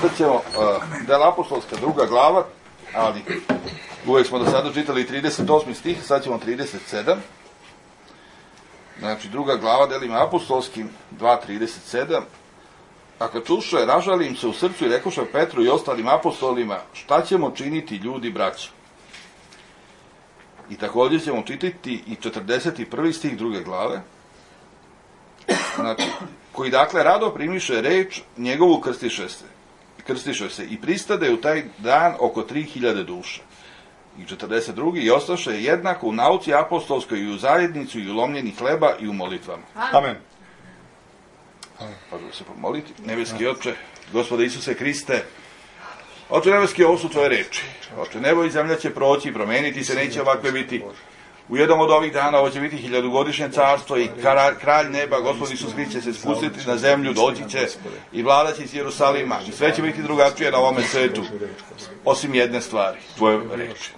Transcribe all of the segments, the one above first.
Sad ćemo Dela apostolska 2. glava, ali uvek smo do sada čitali 38. stih, sad ćemo 37. Znači, 2. glava Delima apostolskim 2.37. A kad čuše, ražali im se u srcu i rekoše Petru i ostalim apostolima, šta ćemo činiti, ljudi, braćo? I također ćemo čitati i 41. stih 2. glave. Znači, koji dakle rado primiše reč, njegovu krstiše se i pristade u taj dan oko 3000 duša. I 42. i ostaše jednako u nauci apostolskoj i u zajednicu i u lomljenju hleba i u molitvama. Amen. Možemo se pomoliti. Nebeski Oče, Gospode Isuse Hriste, Oče nebeski, ovo su tvoje reči. Oče, nebo i zemlja će proći i promeniti se, neće ovakve biti. U jednom od ovih dana ovo će biti 1000-godišnje carstvo i kralj neba, Gospod Isus Hrist će se spustiti na zemlju, doći će i vladat će iz Jerusalima i sve će biti drugačije na ovome svetu, osim jedne stvari, tvoje reči.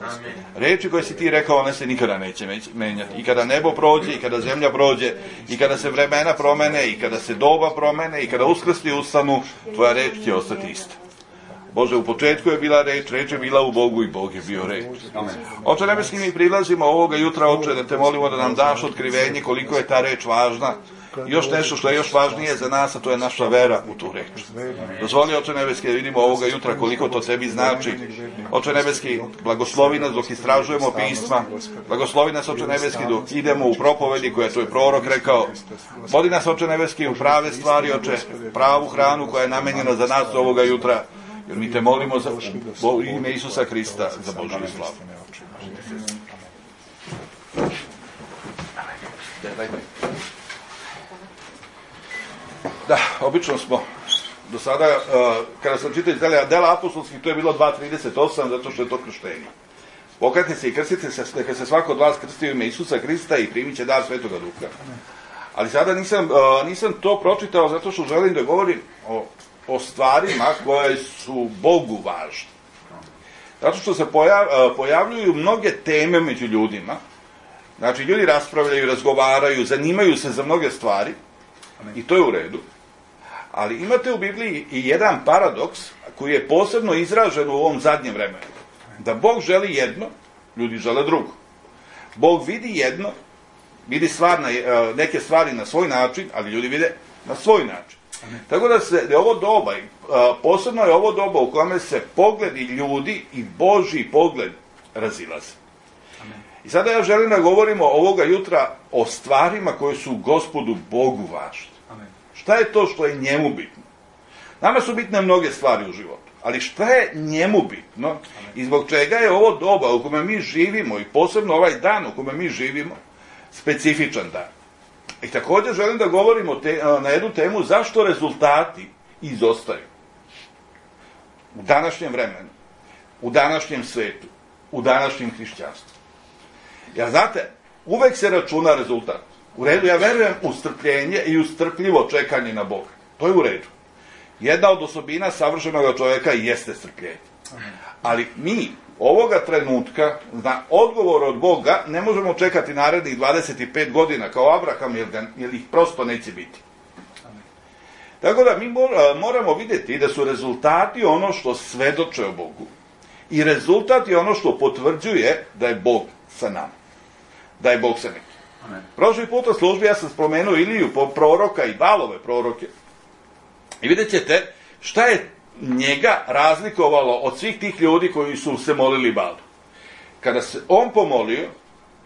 Reči koje si ti rekao, one se nikada neće menjati. I kada nebo prođe, i kada zemlja prođe, i kada se vremena promene, i kada se doba promene, i kada uskrsli ustanu, tvoja reč će ostati ista. Bože, u početku je bila reč, reč je bila u Bogu i Bog je bio reč. Oče nebeski, mi prilazimo ovoga jutra, Oče, da te molimo da nam daš otkrivenje koliko je ta reč važna. I još nešto što je još važnije za nas, a to je naša vera u tu reč. Dozvoli, Oče nebeski, da vidimo ovoga jutra koliko to tebi znači. Oče nebeski, blagoslovi nas dok istražujemo pisma. Blagoslovi nas, Oče nebeski, dok idemo u propovedi koje je tvoj prorok rekao. Vodi nas, Oče nebeski, u prave stvari, Oče, pravu hranu koja je namenjena za nas ovoga jutra. Jer mi te molimo za ime Isusa Hrista, za Božju slavu. Da, obično smo do sada, kada sam čitao iz Dela apostolskih, to je bilo 2.38, zato što je to krštenje. Pokajte se i krstite se, neka se svako od vas krsti u ime Isusa Hrista i primit će dar Svetoga Duha. Ali sada nisam to pročitao zato što želim da govorim o stvarima koje su Bogu važne. Zato što se pojavljuju mnoge teme među ljudima. Znači, ljudi raspravljaju, razgovaraju, zanimaju se za mnoge stvari i to je u redu. Ali imate u Bibliji i jedan paradoks koji je posebno izražen u ovom zadnjem vremenu. Da Bog želi jedno, ljudi žele drugo. Bog vidi jedno, vidi neke stvari na svoj način, ali ljudi vide na svoj način. Tako da je ovo doba, posebno je ovo doba u kome se pogledi ljudi i Božji pogled razilaze. I sada ja želim da govorimo ovoga jutra o stvarima koje su Gospodu Bogu važne. Šta je to što je njemu bitno? Nama su bitne mnoge stvari u životu, ali šta je njemu bitno i zbog čega je ovo doba u kome mi živimo i posebno ovaj dan u kome mi živimo specifičan dan. I također želim da govorimo na jednu temu zašto rezultati izostaju u današnjem vremenu, u današnjem svetu, u današnjem hrišćanstvu. Ja znate, uvek se računa rezultat. U redu, ja verujem u strpljenje i u strpljivo čekanje na Boga. To je u redu. Jedna od osobina savršenog čovjeka jeste strpljenje. Ali mi ovoga trenutka na odgovor od Boga ne možemo čekati narednih 25 godina kao Abraham, jer ih prosto neće biti. Tako da mi moramo vidjeti da su rezultati ono što svedoče o Bogu i rezultat je ono što potvrđuje da je Bog sa nama. Da je Bog sa nekim. Prošli puta službi ja sam spomenuo Iliju proroka i Balove proroke i vidjet ćete šta je njega razlikovalo od svih tih ljudi koji su se molili Balu. Kada se on pomolio,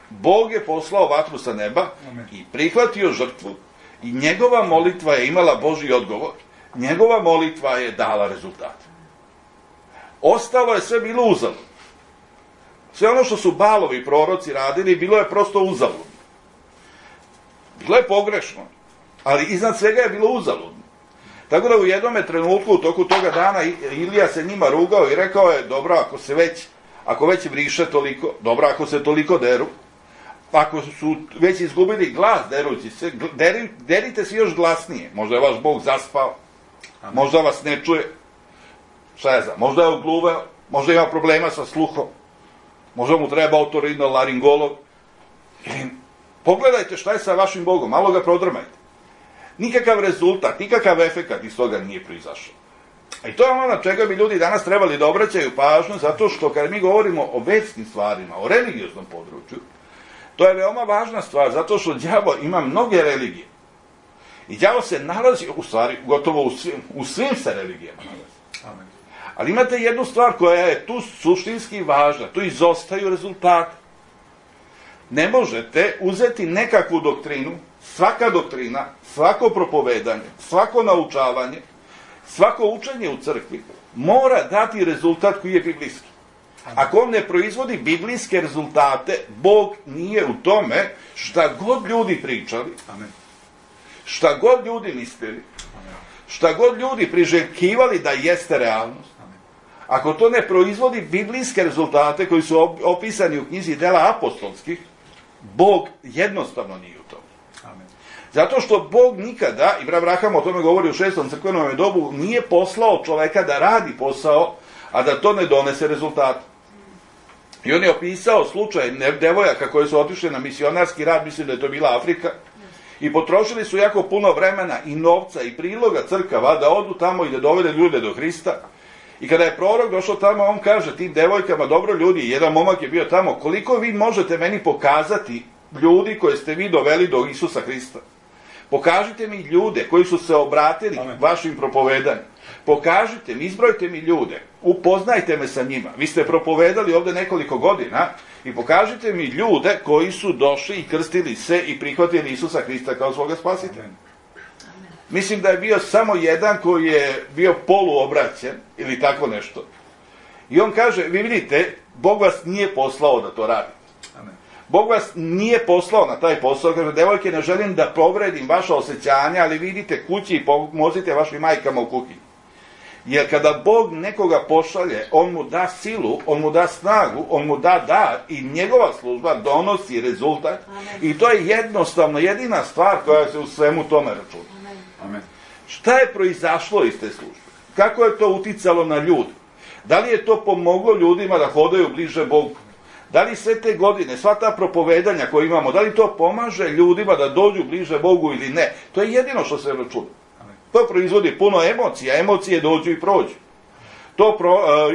Bog je poslao vatru sa neba i prihvatio žrtvu i njegova molitva je imala Božji odgovor. Njegova molitva je dala rezultat. Ostalo je sve bilo uzaludno. Sve ono što su Balovi proroci radili bilo je prosto uzaludno. Bilo je pogrešno, ali iznad svega je bilo uzaludno. Tako da u jednome trenutku, u toku toga dana, Ilija se njima rugao i rekao je, dobro, ako već vriše toliko, dobro, ako se toliko deru, ako su već izgubili glas derući se, derite se još glasnije. Možda je vaš Bog zaspao, možda vas ne čuje, šta je možda je ogluveo, možda ima problema sa sluhom, možda mu treba otorinolaringolog. Pogledajte šta je sa vašim Bogom, malo ga prodrmajte. Nikakav rezultat, nikakav efekat iz toga nije proizašao. I to je ono na čega bi ljudi danas trebali da obraćaju pažnju, zato što kad mi govorimo o vjerskim stvarima, o religioznom području, to je veoma važna stvar, zato što đavo ima mnoge religije. I đavo se nalazi, u stvari, gotovo u svim se religijama nalazi. Amen. Ali imate jednu stvar koja je tu suštinski važna, tu izostaju rezultati. Ne možete uzeti nekakvu doktrinu, svaka doktrina, svako propovedanje, svako naučavanje, svako učenje u crkvi mora dati rezultat koji je biblijski. Ako on ne proizvodi biblijske rezultate, Bog nije u tome šta god ljudi pričali, šta god ljudi mislili, šta god ljudi priželjkivali da jeste realnost. Ako to ne proizvodi biblijske rezultate koji su opisani u knjizi Dela apostolskih, Bog jednostavno nije u tome. Zato što Bog nikada, i Abraham o tome govori u 6. crkvenom dobu, nije poslao čoveka da radi posao, a da to ne donese rezultate. I on je opisao slučaj devojaka koje su otišle na misionarski rad, mislim da je to bila Afrika, i potrošili su jako puno vremena i novca i priloga crkava da odu tamo i da dovede ljude do Hrista. I kada je prorok došao tamo, on kaže tim devojkama, dobro ljudi, jedan momak je bio tamo, koliko vi možete meni pokazati ljudi koje ste vi doveli do Isusa Hrista? Pokažite mi ljude koji su se obratili vašim propovedanjem. Pokažite mi, izbrojite mi ljude, upoznajte me sa njima. Vi ste propovedali ovde nekoliko godina i pokažite mi ljude koji su došli i krstili se i prihvatili Isusa Hrista kao svoga spasitelja. Mislim da je bio samo jedan koji je bio poluobraćen ili tako nešto. I on kaže, vi vidite, Bog vas nije poslao da to radite. Bog vas nije poslao na taj posao, kaže, devojke, ne želim da povredim vaša osjećanja, ali vidite kući i pomozite vašim majkama u kuhinji. Jer kada Bog nekoga pošalje, on mu da silu, on mu da snagu, on mu da dar i njegova služba donosi rezultat. I to je jednostavno jedina stvar koja se u svemu tome računa. Amen. Šta je proizašlo iz te službe? Kako je to uticalo na ljude? Da li je to pomoglo ljudima da hodaju bliže Bogu? Da li sve te godine, sva ta propovedanja koje imamo, da li to pomaže ljudima da dođu bliže Bogu ili ne? To je jedino što se računa. To proizvodi puno emocija, emocije dođu i prođu. To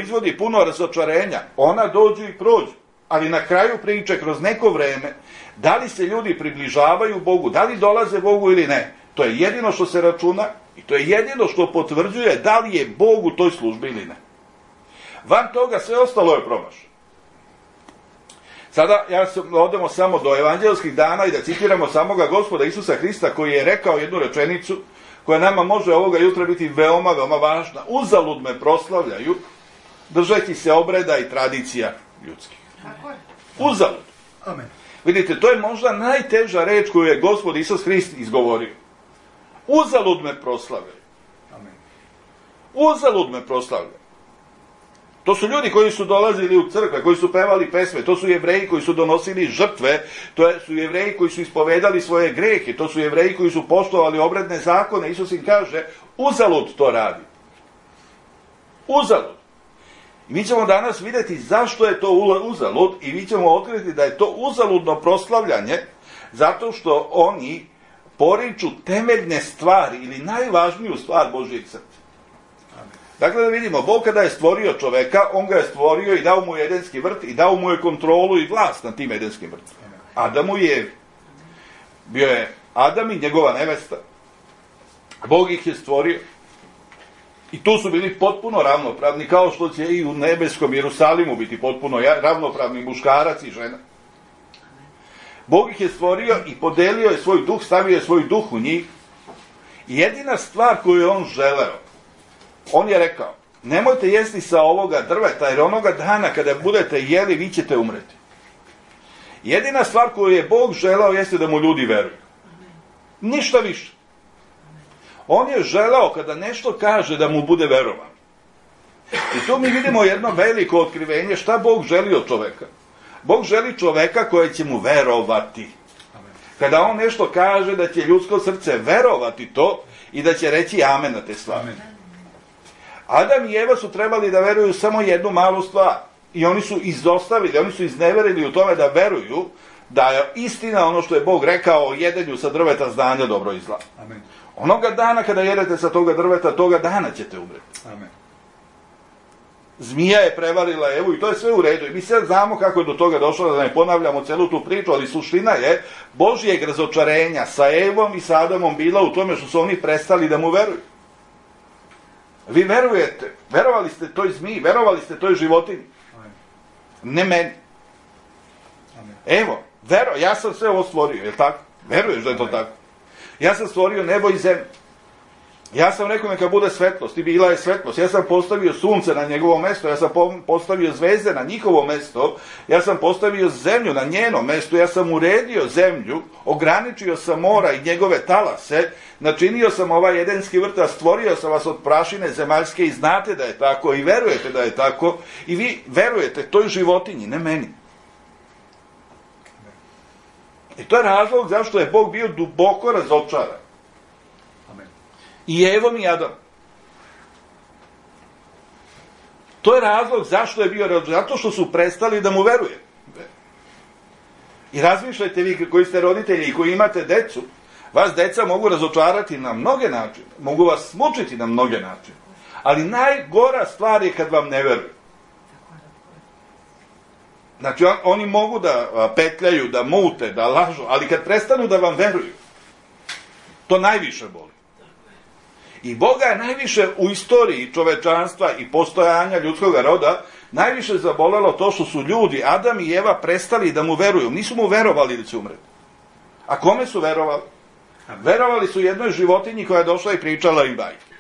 izvodi puno razočarenja, ona dođu i prođu. Ali na kraju priče, kroz neko vreme, da li se ljudi približavaju Bogu, da li dolaze Bogu ili ne? To je jedino što se računa i to je jedino što potvrđuje da li je Bog u toj službi ili ne. Van toga sve ostalo je promašaj. Sada odemo samo do evanđelskih dana i da citiramo samoga Gospoda Isusa Hrista koji je rekao jednu rečenicu koja nama može ovoga jutra biti veoma, veoma važna. Uzalud me proslavljaju držeći se obreda i tradicija ljudskih. Uzalud. Amen. Vidite, to je možda najteža reč koju je Gospod Isus Hrist izgovorio. Uzalud me proslavljaju. Amen. Uzalud me proslavljaju. To su ljudi koji su dolazili u crkve, koji su pevali pesme, to su Jevreji koji su donosili žrtve, to su Jevreji koji su ispovedali svoje grehe, to su Jevreji koji su poštovali obredne zakone. Isus im kaže, uzalud to radi. Uzalud. I mi ćemo danas vidjeti zašto je to uzalud i mi ćemo otkriti da je to uzaludno proslavljanje zato što oni poriču temeljne stvari ili najvažniju stvar Božjeg srca. Dakle, da vidimo, Bog kada je stvorio čoveka, on ga je stvorio i dao mu edenski vrt i dao mu je kontrolu i vlast nad tim edenskim vrtom. Adamu i Evi. Bio je Adam i njegova nevesta. Bog ih je stvorio. I tu su bili potpuno ravnopravni, kao što će i u nebeskom Jerusalimu biti potpuno ravnopravni muškarac i žena. Bog ih je stvorio i podelio je svoj duh, stavio je svoj duh u njih. I jedina stvar koju je on želeo, on je rekao, nemojte jesti sa ovoga drveta, jer onoga dana kada budete jeli, vi ćete umreti. Jedina stvar koju je Bog želeo jeste da mu ljudi veruju. Ništa više. On je želeo kada nešto kaže da mu bude verovan. I tu mi vidimo jedno veliko otkrivenje šta Bog želi od čoveka. Bog želi čoveka koje će mu verovati. Kada on nešto kaže da će ljudsko srce verovati to i da će reći amen na te stvari. Adam i Eva su trebali da veruju samo jednu malu stvar. I oni su izostavili, oni su izneverili u tome da veruju da je istina ono što je Bog rekao o jedenju sa drveta znanja dobro i zla. Onoga dana kada jedete sa toga drveta, toga dana ćete umreti. Amen. Zmija je prevarila Evu i to je sve u redu. I mi sad znamo kako je do toga došlo, da ne ponavljamo celu tu priču, ali suština je Božijeg razočarenja sa Evom i sa Adamom bila u tome što su oni prestali da mu veruju. Vi verujete, verovali ste toj zmiji, verovali ste toj životinji. Amen. Ne meni. Amen. Evo, ja sam sve ovo stvorio, je li tako? Veruješ da je to tako? Ja sam stvorio nebo i zemlju. Ja sam rekao neka bude svetlost i bila je svetlost. Ja sam postavio sunce na njegovo mesto, ja sam postavio zvezde na njihovo mesto, ja sam postavio zemlju na njeno mesto, ja sam uredio zemlju, ograničio sam mora i njegove talase, načinio sam ovaj edenski vrt, a stvorio sam vas od prašine zemaljske i znate da je tako i verujete da je tako i vi verujete toj životinji, ne meni. I to je razlog zašto je Bog bio duboko razočaran. I Evom i Adam. To je razlog zašto je bio razočaran. Zato što su prestali da mu veruje. I razmišljajte vi koji ste roditelji i koji imate decu, vas deca mogu razočarati na mnoge načine. Mogu vas mučiti na mnoge načine. Ali najgora stvar je kad vam ne veruju. Znači oni mogu da petljaju, da mute, da lažu, ali kad prestanu da vam veruju, to najviše boli. I Boga je najviše u istoriji čovečanstva i postojanja ljudskog roda najviše zabolelo to što su ljudi, Adam i Eva, prestali da mu veruju. Nisu mu verovali da će umreti. A kome su verovali? Verovali su jednoj životinji koja je došla i pričala im bajke.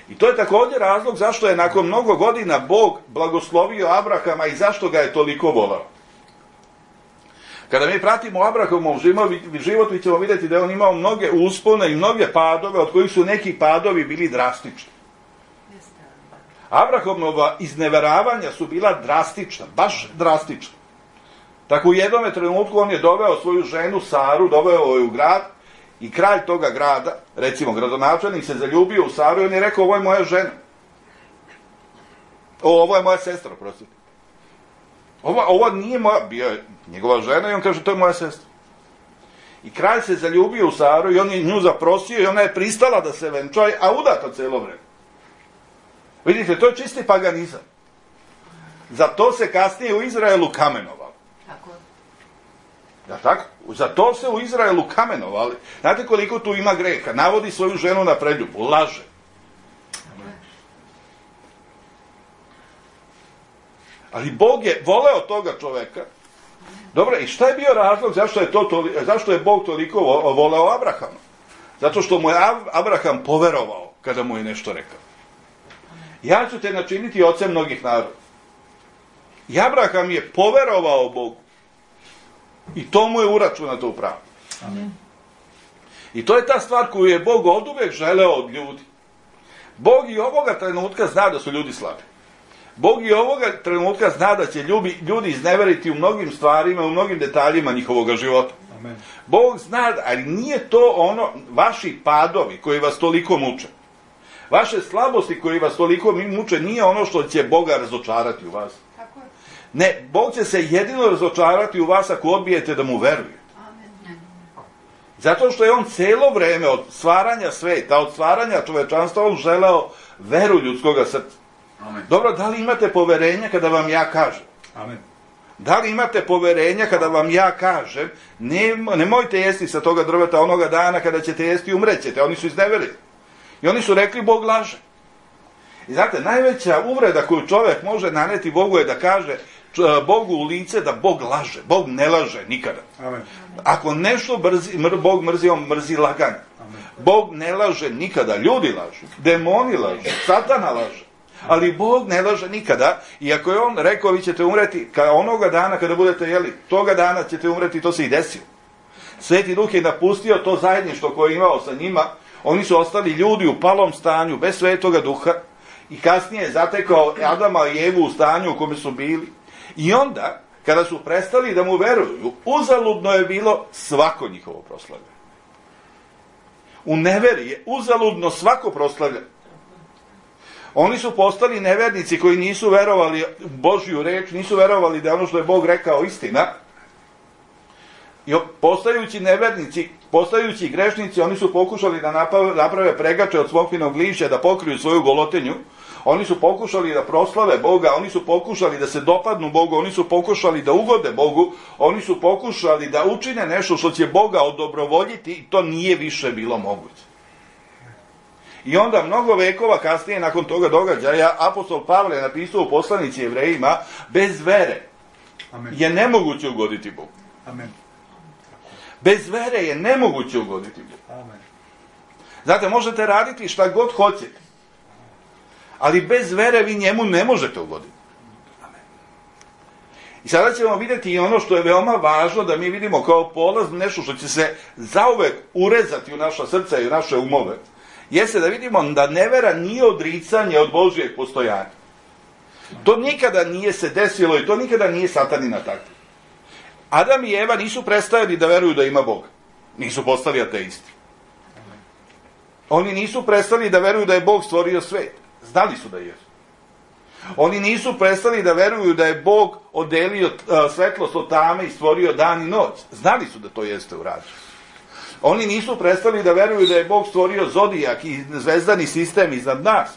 I to je također razlog zašto je nakon mnogo godina Bog blagoslovio Abrahama i zašto ga je toliko volao. Kada mi pratimo Abrahamov život, mi ćemo vidjeti da je on imao mnoge uspone i mnoge padove, od kojih su neki padovi bili drastični. Abrahamova izneveravanja su bila drastična, baš drastična. Tako u jednom trenutku on je doveo svoju ženu Saru, doveo je u grad i kralj toga grada, recimo gradonačelnik, se zaljubio u Saru i on je rekao, ovo je moja žena. Ovo je moja sestra, prostite. Ovo nije moja, bio je njegova žena i on kaže, to je moja sestra. I kralj se zaljubio u Saru i on je nju zaprosio i ona je pristala da se venča, a udata cijelo vreme. Vidite, to je čisti paganizam. Za to se kasnije u Izraelu kamenovalo. Tako. Ja, tako? Za to se u Izraelu kamenovali. Znate koliko tu ima greha? Navodi svoju ženu na preljubu, laže. Ali Bog je voleo toga čoveka. Dobro, i šta je bio razlog zašto je Bog toliko voleo Abrahama? Zato što mu je Abraham poverovao kada mu je nešto rekao. Ja ću te načiniti ocem mnogih naroda. I Abraham je poverovao Bogu. I to mu je uračunato u pravu. Amen. I to je ta stvar koju je Bog oduvek želeo od ljudi. Bog i ovoga trenutka zna da su ljudi slabi. Bog i ovoga trenutka zna da će ljudi izneveriti u mnogim stvarima, u mnogim detaljima njihovog života. Amen. Bog zna, ali nije to ono, vaši padovi koji vas toliko muče. Vaše slabosti koji vas toliko muče nije ono što će Boga razočarati u vas. Tako je. Ne, Bog će se jedino razočarati u vas ako odbijete da mu veruje. Amen. Zato što je on celo vreme od stvaranja sveta, od stvaranja čovečanstva, on želeo veru ljudskoga srca. Amen. Dobro, da li imate poverenja kada vam ja kažem? Amen. Da li imate poverenja kada vam ja kažem, nemojte jesti sa toga drveta onoga dana kada ćete jesti i umrećete? Oni su izneverili. I oni su rekli, Bog laže. I znate, najveća uvreda koju čovjek može naneti Bogu je da kaže Bogu u lice da Bog laže. Bog ne laže nikada. Amen. Ako nešto Bog mrzi, on mrzi laganje. Amen. Bog ne laže nikada. Ljudi lažu, demoni lažu, Satana laže. Ali Bog ne laže nikada. I ako je on rekao, vi ćete umreti onoga dana kada budete jeli, toga dana ćete umreti, to se i desilo. Sveti Duh je napustio to zajedništvo koje je imao sa njima. Oni su ostali ljudi u palom stanju, bez Svetoga Duha. I kasnije je zatekao Adama i Evu u stanju u kome su bili. I onda, kada su prestali da mu veruju, uzaludno je bilo svako njihovo proslavljanje. U neveri je uzaludno svako proslavljanje. Oni su postali nevernici koji nisu verovali u Božju reč, nisu verovali da je ono što je Bog rekao istina. I postajući nevernici, Postajući grešnici, oni su pokušali da naprave pregače od smokvinog lišća, da pokriju svoju golotinju. Oni su pokušali da proslave Boga, oni su pokušali da se dopadnu Bogu, oni su pokušali da ugode Bogu, oni su pokušali da učine nešto što će Boga odobrovoljiti i to nije više bilo moguće. I onda mnogo vekova kasnije, nakon toga događaja, apostol Pavle je napisao u poslanici Jevrejima, bez vere je nemoguće ugoditi Bogu. Amen. Bez vere je nemoguće ugoditi Bogu. Amen. Znate, možete raditi šta god hoćete, ali bez vere vi njemu ne možete ugoditi. Amen. I sada ćemo vidjeti i ono što je veoma važno da mi vidimo kao polaz, nešto što će se zauvek urezati u naša srca i u naše umove, jeste da vidimo da nevera nije odricanje od Božijeg postojanja. To nikada nije se desilo i to nikada nije Satanina takva. Adam i Eva nisu prestajali da veruju da ima Boga. Nisu postali ateisti. Oni nisu prestali da veruju da je Bog stvorio svet. Znali su da je. Oni nisu prestali da veruju da je Bog oddelio svetlost od tame i stvorio dan i noć. Znali su da to jeste urađeno. Oni nisu prestali da veruju da je Bog stvorio zodijak i zvezdani sistem iznad nas.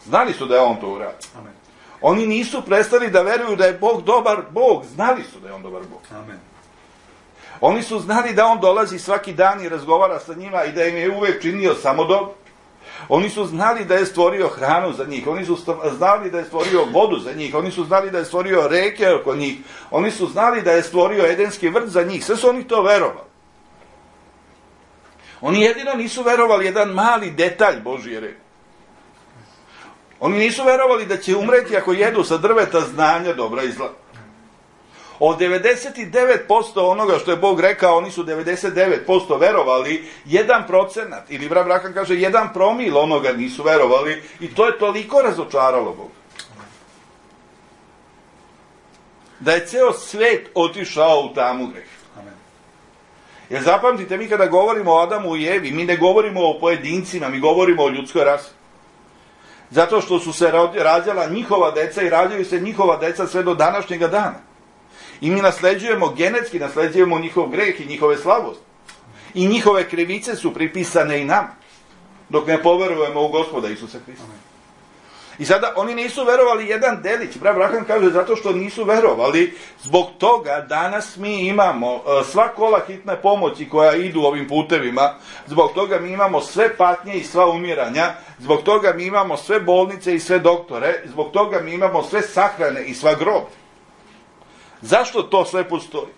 Znali su da je on to uradio. Amen. Oni nisu prestali da veruju da je Bog dobar Bog. Znali su da je on dobar Bog. Amen. Oni su znali da on dolazi svaki dan i razgovara sa njima i da im je uvek činio samo dobro. Oni su znali da je stvorio hranu za njih. Oni su znali da je stvorio vodu za njih. Oni su znali da je stvorio reke oko njih. Oni su znali da je stvorio edenski vrt za njih. Sve su oni to verovali. Oni jedino nisu verovali jedan mali detalj Božije reči. Oni nisu verovali da će umreti ako jedu sa drveta znanja dobra i zla. Od 99% onoga što je Bog rekao, oni su 99% verovali, 1%, ili brat Brahan kaže 1 promil onoga nisu verovali, i to je toliko razočaralo Boga. Da je ceo svet otišao u tamu greha. Jer zapamtite, mi kada govorimo o Adamu i Evi, mi ne govorimo o pojedincima, mi govorimo o ljudskoj rasi. Zato što su se rađala njihova deca i rađaju se njihova deca sve do današnjega dana. I mi nasleđujemo, genetski nasleđujemo njihov greh i njihove slabosti. I njihove krivice su pripisane i nama, dok ne poverujemo u Gospoda Isusa Hrista. I sada oni nisu verovali jedan delić. Brat Brahan kaže zato što nisu verovali, zbog toga danas mi imamo sva kola hitne pomoći koja idu ovim putevima, zbog toga mi imamo sve patnje i sva umiranja, zbog toga mi imamo sve bolnice i sve doktore, zbog toga mi imamo sve sahrane i sva groblja. Zašto to sve postoji?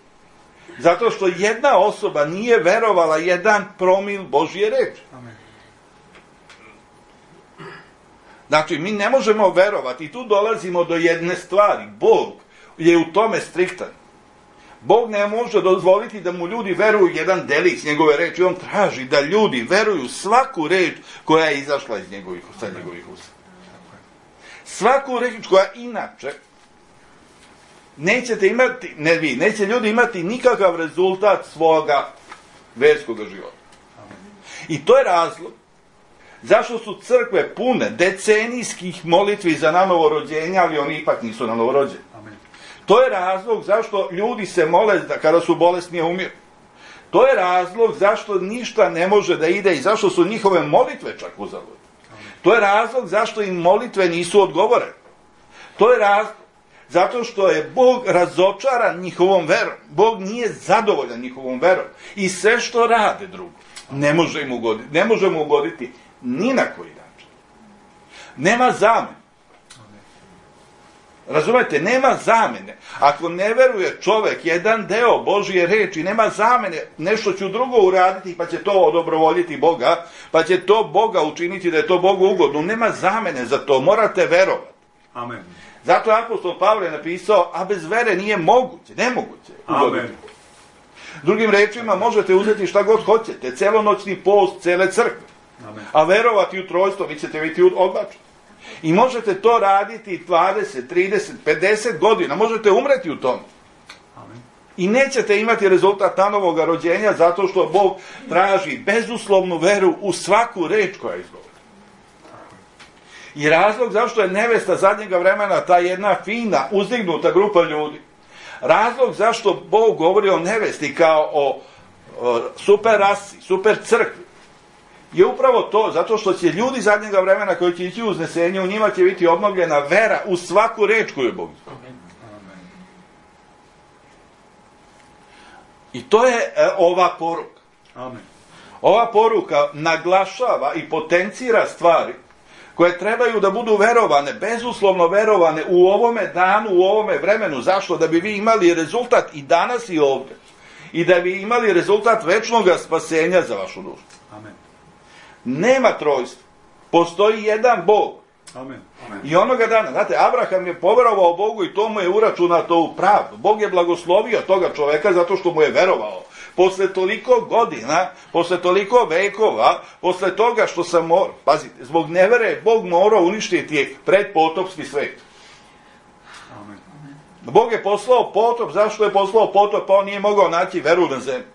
Zato što jedna osoba nije verovala 1 promil Božje reči. Amen. Znači, mi ne možemo verovati, i tu dolazimo do jedne stvari. Bog je u tome striktan. Bog ne može dozvoliti da mu ljudi veruju jedan delić njegove reči. On traži da ljudi veruju svaku reč koja je izašla iz njegovih usta. Svaku reč koja inače nećete imati, neće ljudi imati nikakav rezultat svoga verskog života. I to je razlog zašto su crkve pune decenijskih molitvi za nanovorođenja, ali oni ipak nisu nanovorođeni. To je razlog zašto ljudi se mole da kada su bolesni umiru. To je razlog zašto ništa ne može da ide i zašto su njihove molitve čak uzaludne. To je razlog zašto im molitve nisu odgovorene. To je razlog zato što je Bog razočaran njihovom verom. Bog nije zadovoljan njihovom verom. I sve što rade drugo, ne može mu ugoditi ni na koji način. Nema zamene. Razumete, nema zamene. Ako ne veruje čovek jedan deo Božje reči, nema zamene, nešto ću drugo uraditi, pa će to odobrovoljiti Boga, pa će to Boga učiniti da je to Bogu ugodno. Nema zamene za to, morate verovati. Amen. Zato apostol Pavle napisao, a bez vere nije moguće, nemoguće ugoditi. Amen. Drugim rečima, možete uzeti šta god hoćete, celonoćni post cele crkve, Amen. a verovati u trojstvo, vi ćete biti odbačeni. I možete to raditi 20, 30, 50 godina, možete umreti u tome. Amen. I nećete imati rezultat nanovog rođenja zato što Bog traži bezuslovnu veru u svaku reč koja izgovori. I razlog zašto je nevesta zadnjega vremena ta jedna fina, uzdignuta grupa ljudi. Razlog zašto Bog govori o nevesti kao o super rasi, super crkvi, je upravo to, zato što će ljudi zadnjega vremena koji će ići u uznesenje, u njima će biti obnovljena vera u svaku reč koju je Bog izgovorio. I to je ova poruka. Amen. Ova poruka naglašava i potencira stvari koje trebaju da budu verovane, bezuslovno verovane u ovome danu, u ovome vremenu. Zašto? Da bi vi imali rezultat i danas i ovdje. I da bi imali rezultat večnog spasenja za vašu dušu. Amen. Nema trojstva. Postoji jedan Bog. Amen. Amen. I onoga dana, znate, Abraham je poverovao Bogu i to mu je uračunato u pravdu. Bog je blagoslovio toga čoveka zato što mu je verovao. Posle toliko godina, posle toliko vekova, posle toga što sam pazite, zbog nevere Bog morao uništiti predpotopski svet. Amen. Bog je poslao potop, zašto je poslao potop? Pa on nije mogao naći veru na zemlji.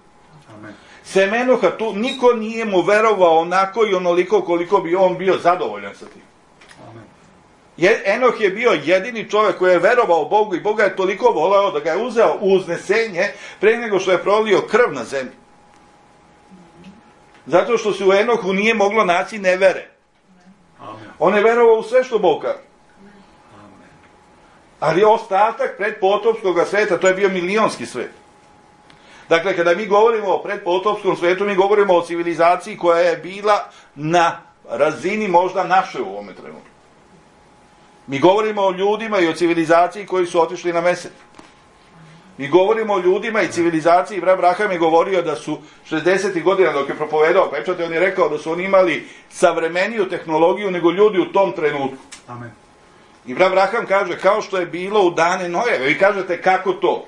Amen. Sem Enoha, tu niko nije mu verovao onako i onoliko koliko bi on bio zadovoljan sa tim. Enoh je bio jedini čovjek koji je verovao Bogu i Boga je toliko voleo da ga je uzeo u uznesenje pre nego što je prolio krv na zemlji. Zato što se u Enohu nije moglo naći nevere. On je verovao u sve što Bog kaže. Ali ostatak predpotopskog sveta, to je bio milionski svet. Dakle, kada mi govorimo o predpotopskom svetu, mi govorimo o civilizaciji koja je bila na razini možda naše u ovome trenutku. Mi govorimo o ljudima i o civilizaciji koji su otišli na mesec. Mi govorimo o ljudima i civilizaciji. Brat Braham je govorio da su 60. godina dok je propovedao pečate, on je rekao da su oni imali savremeniju tehnologiju nego ljudi u tom trenutku. Amen. I brat Braham kaže kao što je bilo u dane Nojeve. Vi kažete kako to?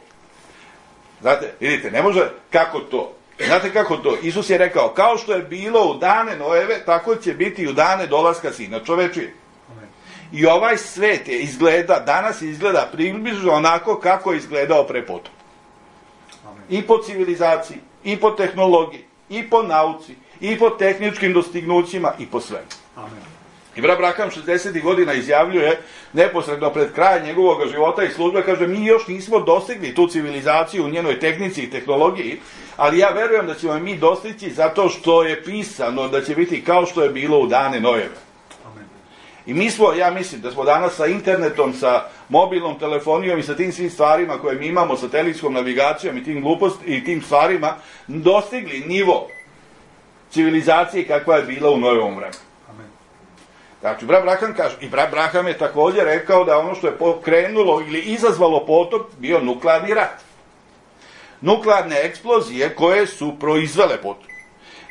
Znate, vidite, ne može kako to. Znate kako to? Isus je rekao kao što je bilo u dane Nojeve, tako će biti i u dane dolaska Sina čovečije. I ovaj svet je danas izgleda približno onako kako je izgledao pre potom. I po civilizaciji, i po tehnologiji, i po nauci, i po tehničkim dostignućima, i po svemu. I brat Braham 60. godina izjavljuje, neposredno pred kraj njegovog života i službe, kaže, mi još nismo dostigli tu civilizaciju u njenoj tehnici i tehnologiji, ali ja verujem da ćemo mi dostići zato što je pisano da će biti kao što je bilo u dane Nojeve. I mi smo, ja mislim da smo danas sa internetom, sa mobilnom telefonijom i sa tim svim stvarima koje mi imamo, satelitskom navigacijom i tim i tim stvarima, dostigli nivo civilizacije kakva je bila u Nojevom vremenu. Znači, brat Braham kaže, i brat Braham je također rekao da ono što je pokrenulo ili izazvalo potop bio nuklearni rat. Nuklearne eksplozije koje su proizvele potop.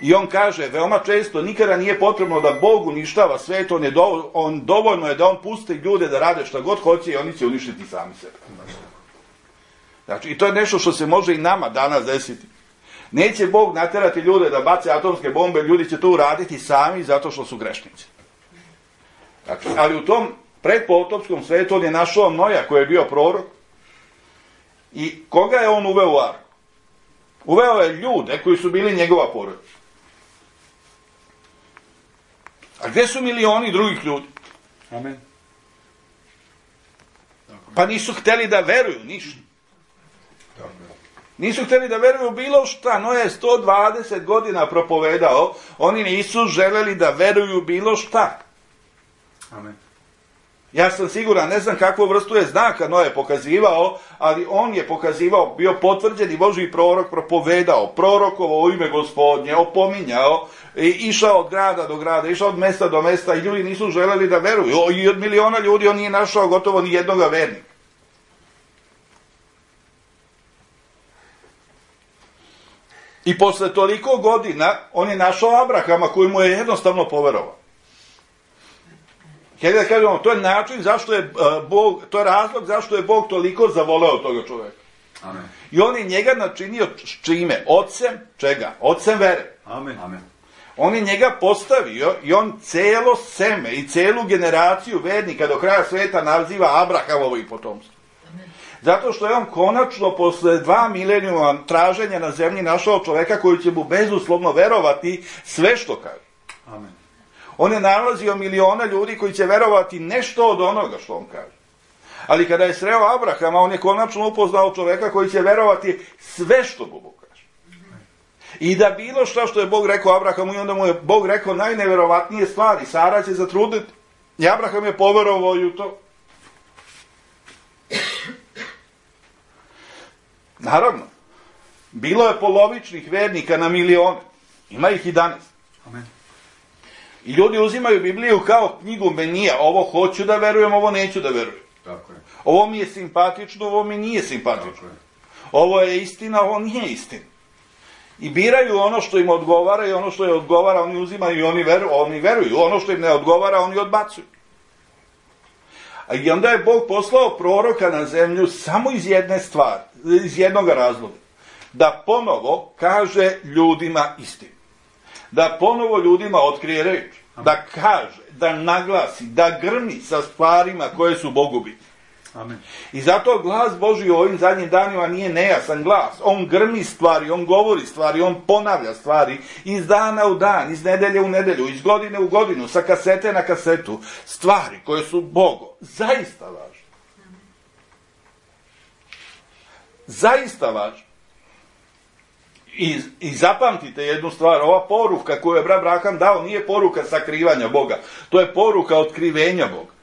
I on kaže, veoma često, nikada nije potrebno da Bog uništava svet, dovoljno je da on pusti ljude da rade šta god hoće i oni će uništiti sami sebe. Znači, i to je nešto što se može i nama danas desiti. Neće Bog naterati ljude da bace atomske bombe, ljudi će to uraditi sami zato što su grešnici. Znači, ali u tom predpotopskom svetu on je našao Noja koji je bio prorok i koga je on uveo u arku? Uveo je ljude koji su bili njegova porodica. A gde su milioni drugih ljudi? Amen. Pa nisu hteli da veruju ništa. Nisu hteli da veruju bilo šta. Noe je 120 godina propovedao. Oni nisu želeli da veruju bilo šta. Amen. Ja sam siguran, ne znam kakvu vrstu je znaka Noe pokazivao, ali on je pokazivao, bio potvrđeni Božji prorok, propovedao, prorokovao u ime Gospodnje, opominjao, išao od grada do grada, išao od mesta do mesta i ljudi nisu želeli da veruju. I od miliona ljudi on nije našao gotovo ni jednoga vernika. I posle toliko godina on je našao Abrahama koji mu je jednostavno poverovao. Hajde da kažemo, to je način zašto je Bog, to je razlog zašto je Bog toliko zavoleo toga čovjeka. Amen. I on je njega načinio čime? Ocem čega? Ocem vere. Amen. Amen. On je njega postavio i on celo seme i celu generaciju vernika do kraja sveta naziva Abrahamovo i potomstvo. Zato što je on konačno posle 2 milenijuma traženja na zemlji našao čoveka koji će mu bezuslovno verovati sve što kaže. Amen. On je nalazio miliona ljudi koji će verovati nešto od onoga što on kaže. Ali kada je sreo Abrahama, on je konačno upoznao čoveka koji će verovati sve što mu Bog kaže. I da bilo što je Bog rekao Abrahamu, i onda mu je Bog rekao najneverovatnije stvari. Sara će zatrudniti. I Abraham je poverovao u to. Naravno, bilo je polovičnih vernika na milione. Ima ih i danas. Amen. I ljudi uzimaju Bibliju kao knjigu menija. Ovo hoću da verujem, ovo neću da verujem. Tako je. Ovo mi je simpatično, ovo mi nije simpatično. Tako je. Ovo je istina, ovo nije istina. I biraju ono što im odgovara i ono što je odgovara, oni uzimaju i oni veruju. Ono što im ne odgovara, oni odbacuju. I onda je Bog poslao proroka na zemlju samo iz jedne stvari, iz jednog razloga. Da ponovo kaže ljudima istinu. Da ponovo ljudima otkrije reč. Da kaže, da naglasi, da grmi sa stvarima koje su Bogu bitne. Amen. I zato glas Božji u ovim zadnjim danima nije nejasan glas. On grmi stvari, on govori stvari, on ponavlja stvari iz dana u dan, iz nedelje u nedelju, iz godine u godinu, sa kasete na kasetu. Stvari koje su Bogu zaista važne. Zaista važne. I zapamtite jednu stvar, ova poruka koju je brat Abraham dao nije poruka sakrivanja Boga. To je poruka otkrivenja Boga.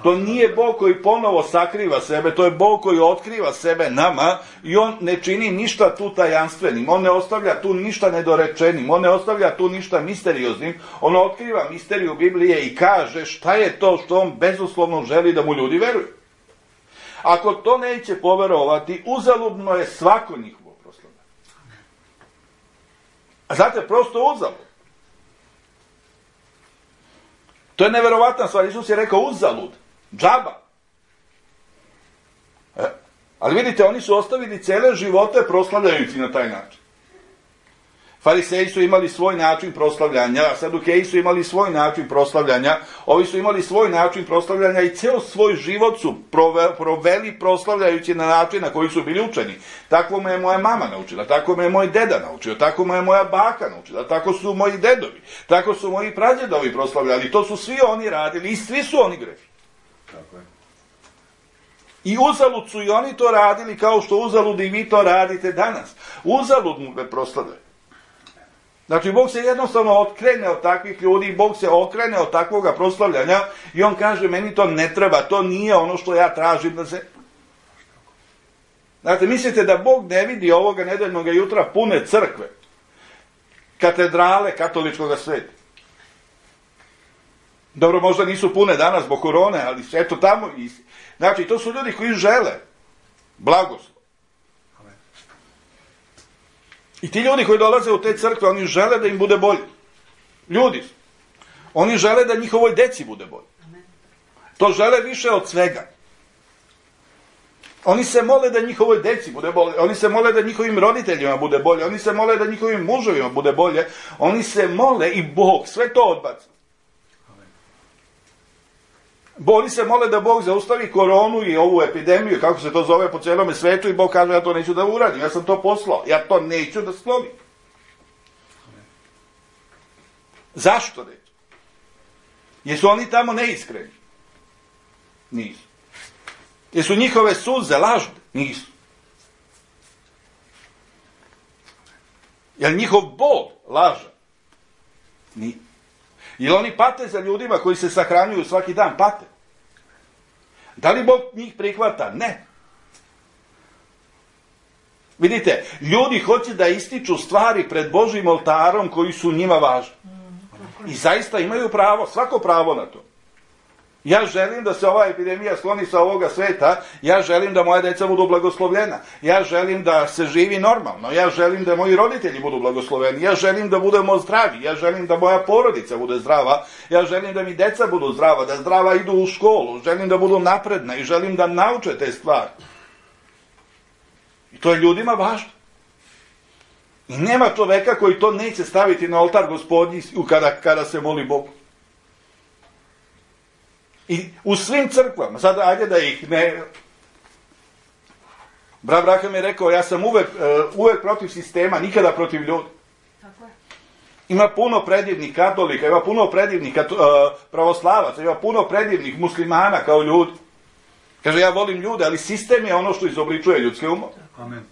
To nije Bog koji ponovo sakriva sebe, to je Bog koji otkriva sebe nama i on ne čini ništa tu tajanstvenim, on ne ostavlja tu ništa nedorečenim, on ne ostavlja tu ništa misterioznim, on otkriva misteriju Biblije i kaže šta je to što on bezuslovno želi da mu ljudi veruju. Ako to neće poverovati, uzaludno je svako njihovo proslavljanje. A znate, prosto uzalud. To je neverovatna stvar, Isus je rekao uzalud. Džaba. Ali vidite, oni su ostavili cele živote proslavljajući na taj način. Fariseji su imali svoj način proslavljanja, Sadukeji su imali svoj način proslavljanja, ovi su imali svoj način proslavljanja i ceo svoj život su proveli proslavljajući na način na koji su bili učeni. Tako me je moja mama naučila, tako me je moj deda naučio, tako me je moja baka naučila, tako su moji dedovi, tako su moji pradjedovi proslavljali, to su svi oni radili i svi su oni grešni. Tako je. I uzalud su i oni to radili kao što uzalud i vi to radite danas. Uzalud mu me proslavljaju. Znači, Bog se jednostavno okrene od takvih ljudi, Bog se okrene od takvoga proslavljanja i on kaže, meni to ne treba, to nije ono što ja tražim da se... Znate, mislite da Bog ne vidi ovoga nedeljnog jutra pune crkve, katedrale katoličkog sveta? Dobro, možda nisu pune danas zbog korone, ali eto tamo... Znači, to su ljudi koji žele blagoslov. I ti ljudi koji dolaze u te crkve, oni žele da im bude bolje. Ljudi su. Oni žele da njihovoj deci bude bolje. To žele više od svega. Oni se mole da njihovoj deci bude bolje. Oni se mole da njihovim roditeljima bude bolje. Oni se mole da njihovim muževima bude bolje. Oni se mole i Bog sve to odbaci. Oni se mole da Bog zaustavi koronu i ovu epidemiju, kako se to zove po celome svetu, i Bog kaže, ja to neću da uradim, ja sam to poslao, ja to neću da sklonim. Zašto neću? Jesu oni tamo neiskreni? Nisu. Jesu njihove suze lažne? Nisu. Je li njihov bol lažan? Nije. Jer oni pate za ljudima koji se sahranjuju svaki dan, pate. Da li Bog njih prihvata? Ne. Vidite, ljudi hoće da ističu stvari pred Božjim oltarom koji su njima važni. I zaista imaju pravo, svako pravo na to. Ja želim da se ova epidemija skloni sa ovoga sveta, ja želim da moja deca budu blagoslovljena, ja želim da se živi normalno, ja želim da moji roditelji budu blagosloveni, ja želim da budemo zdravi, ja želim da moja porodica bude zdrava, ja želim da mi deca budu zdrava, da zdrava idu u školu, želim da budu napredna i želim da nauče te stvari. I to je ljudima važno. I nema čoveka koji to neće staviti na oltar Gospodnji kada se moli Bogu. I u svim crkvama, sad ajde da ih ne... Brat Abraham je rekao, ja sam uvek protiv sistema, nikada protiv ljudi. Tako je. Ima puno predivnih katolika, ima puno predivnih pravoslavaca, ima puno predivnih muslimana kao ljudi. Kaže, ja volim ljude, ali sistem je ono što izobličuje ljudske umove. Amen.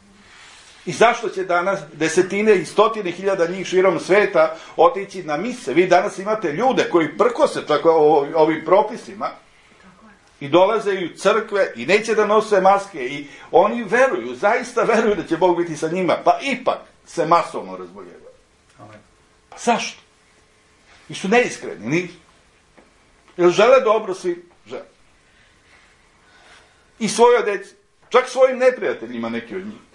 I zašto će danas desetine i stotine hiljada njih širom sveta otići na mise? Vi danas imate ljude koji prkose tako ovim propisima i dolaze i u crkve i neće da nose maske i oni veruju, zaista veruju da će Bog biti sa njima, pa ipak se masovno razboljevaju. Pa zašto? I su neiskreni, nisu. Jer žele dobro svi, žele. I svojoj deci, čak svojim neprijateljima neki od njih.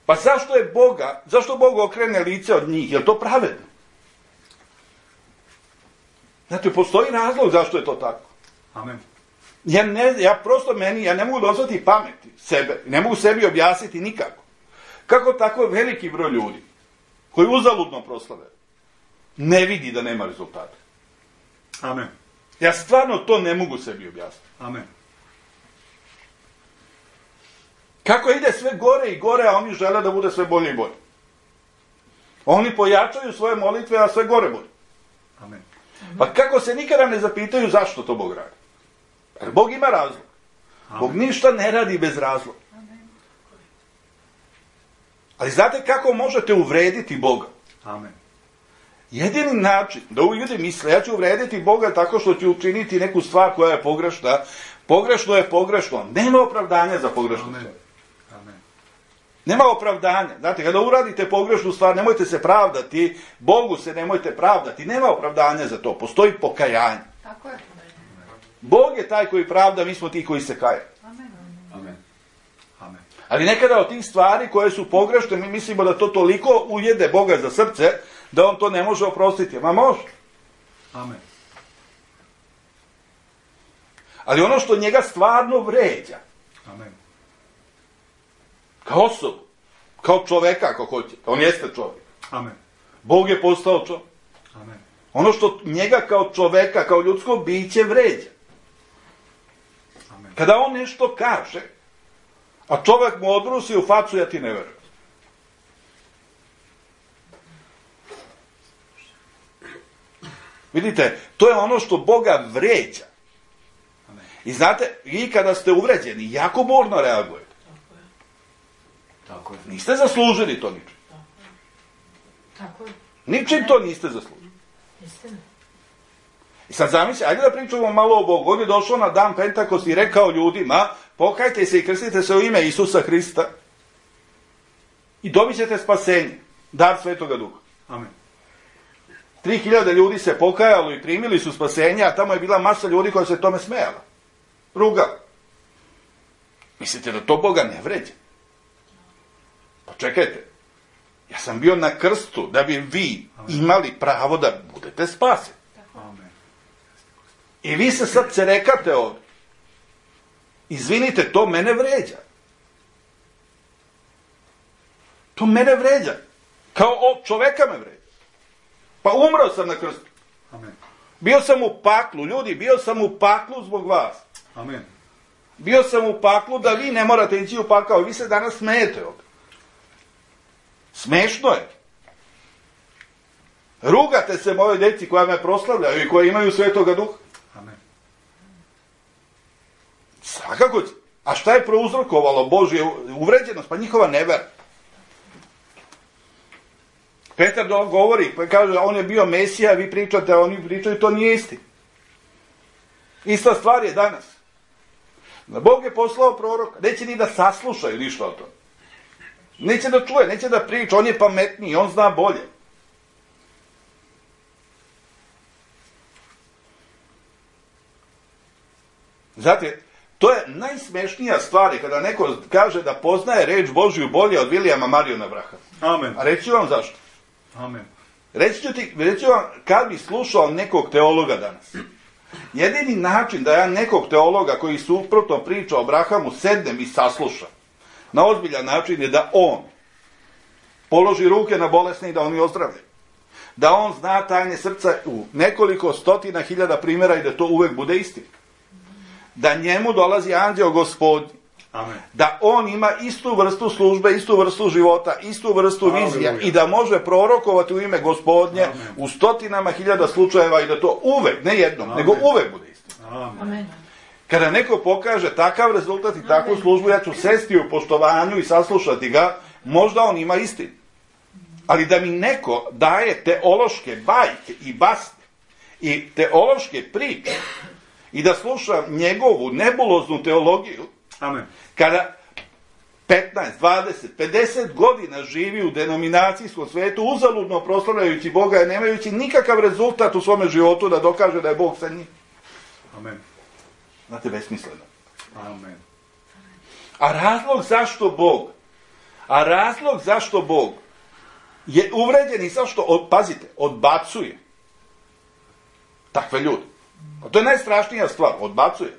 Pa zašto Bog okrene lice od njih? Je li to pravedno? Znate, postoji razlog zašto je to tako. Amen. Ja ne mogu dozvati pameti sebe, ne mogu sebi objasniti nikako. Kako tako veliki broj ljudi, koji uzaludno proslave, ne vidi da nema rezultata? Amen. Ja stvarno to ne mogu sebi objasniti. Amen. Kako ide sve gore i gore, a oni žele da bude sve bolje i bolje. Oni pojačaju svoje molitve, a sve gore bolje. Amen. Pa kako se nikada ne zapitaju zašto to Bog radi? Jer Bog ima razlog. Amen. Bog ništa ne radi bez razloga. Ali znate kako možete uvrediti Boga? Amen. Jedini način da ljudi misle, ja ću uvrediti Boga tako što ću učiniti neku stvar koja je pogrešna. Pogrešno je pogrešno. Nema opravdanja za pogrešnu stvar. Nema opravdanja. Znate, kada uradite pogrešnu stvar, nemojte se pravdati, Bogu se nemojte pravdati. Nema opravdanja za to. Postoji pokajanje. Tako je. Bog je taj koji pravda, mi smo ti koji se kaju. Amen. Amen. Amen. Ali nekada od tih stvari koje su pogrešne, mi mislimo da to toliko ujede Boga za srce, da on to ne može oprostiti. Ma može. Amen. Ali ono što njega stvarno vređa, Amen. kao osobu, kao čoveka ako hoćete, on jeste čovjek. Amen. Bog je postao čovjek. Amen. Ono što njega kao čoveka, kao ljudsko biće vređa. Amen. Kada on nešto kaže, a čovjek mu odbrusi u facu, ja ti ne verujem. Vidite, to je ono što Boga vređa. Amen. I znate, vi kada ste uvređeni, jako burno reagujete. Tako je. Niste zaslužili to ničim. Tako je. Ničim to niste zaslužili. Istina. I sad zamislite, ajde da pričamo malo o Bogu. On je došao na dan Pentakost i rekao ljudima, pokajte se i krstite se u ime Isusa Hrista i dobit ćete spasenje, dar Svetoga Duha. Amen. 3000 ljudi se pokajalo i primili su spasenje, a tamo je bila masa ljudi koja se tome smejala. Rugala. Mislite da to Boga ne vređa? Pa čekajte, ja sam bio na krstu da bi vi imali pravo da budete spaseni. Amen. I vi se sad cerekate ovdje. Izvinite, to mene vređa. To mene vređa. Kao čoveka me vređa. Pa umro sam na krstu. Amen. Bio sam u paklu, ljudi, bio sam u paklu zbog vas. Amen. Bio sam u paklu da vi ne morate ići u pakao. Vi se danas smijete ovdje. Smešno je. Rugate se moje deci koja me proslavljaju i koja imaju Svetoga Duha. Amen. Svakako će. A šta je prouzrokovalo Božje uvređenost? Pa njihova nevera. Petar govori, pa kaže, on je bio Mesija, vi pričate, a oni pričaju, to nije isti. Ista stvar je danas. Bog je poslao proroka, neće ni da saslušaju ništa o tome. Neće da čuje, neće da priča, on je pametniji, on zna bolje. Znate, to je najsmešnija stvar kada neko kaže da poznaje reč Božju bolje od Vilijama Mariona Brahama. Amen. A reći ću vam zašto. Amen. Reći ću vam kad bi slušao nekog teologa danas. Jedini način da ja nekog teologa koji suprotno priča o Abrahamu sednem i saslušam na ozbiljan način je da on položi ruke na bolesne i da oni ozdravljaju. Da on zna tajne srca u nekoliko stotina hiljada primjera i da to uvek bude istina. Da njemu dolazi anđeo Gospodnji. Amen. Da on ima istu vrstu službe, istu vrstu života, istu vrstu vizija Aleluja. i da može prorokovati u ime Gospodnje Amen. u stotinama hiljada slučajeva i da to uvek, ne jednom, nego uvek bude istina. Amen. Amen. Kada neko pokaže takav rezultat i takvu službu, ja ću sesti u poštovanju i saslušati ga, možda on ima istinu. Ali da mi neko daje teološke bajke i basne i teološke priče i da slušam njegovu nebuloznu teologiju, Amen. kada 15, 20, 50 godina živi u denominacijskom svetu, uzaludno proslavljajući Boga i nemajući nikakav rezultat u svome životu da dokaže da je Bog sa njim. Amen. Znate, besmisleno. Amen. A razlog zašto Bog je uvređen i zašto, pazite, odbacuje takve ljude. A to je najstrašnija stvar, odbacuje.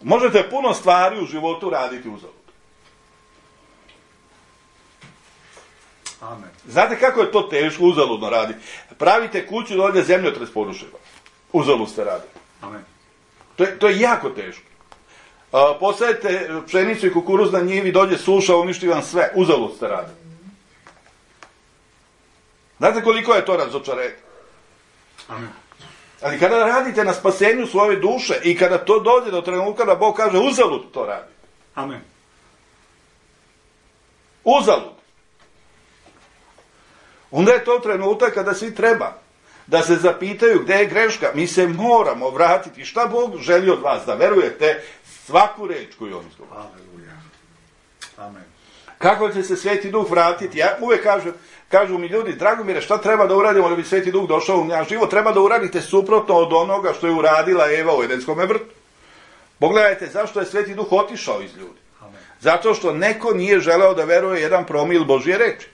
Možete puno stvari u životu raditi uzalud. Amen. Znate kako je to teško uzaludno raditi? Pravite kuću da ovdje zemljotres poruši vas. Uzalud ste radili. Amen. To je jako teško. Posadite pšenicu i kukuruz na njivi, dođe suša, uništi vam sve. Uzalud ste radili. Znate koliko je to razočarenje? Amen. Ali kada radite na spasenju svoje duše i kada to dođe do trenutka da Bog kaže uzalud to radi. Amen. Uzalud. Onda je to trenutak kada svi treba da se zapitaju gdje je greška. Mi se moramo vratiti. Šta Bog želi od vas? Da verujete svaku reč koju on izgovara. Aleluja. Amen. Kako će se Sveti Duh vratiti? Ja uvijek kažu mi ljudi, Dragomire, šta treba da uradimo da bi Sveti Duh došao u naš život? Treba da uradite suprotno od onoga što je uradila Eva u Edenskome vrtu. Pogledajte zašto je Sveti Duh otišao iz ljudi. Amen. Zato što neko nije želeo da veruje 1% Božje reči.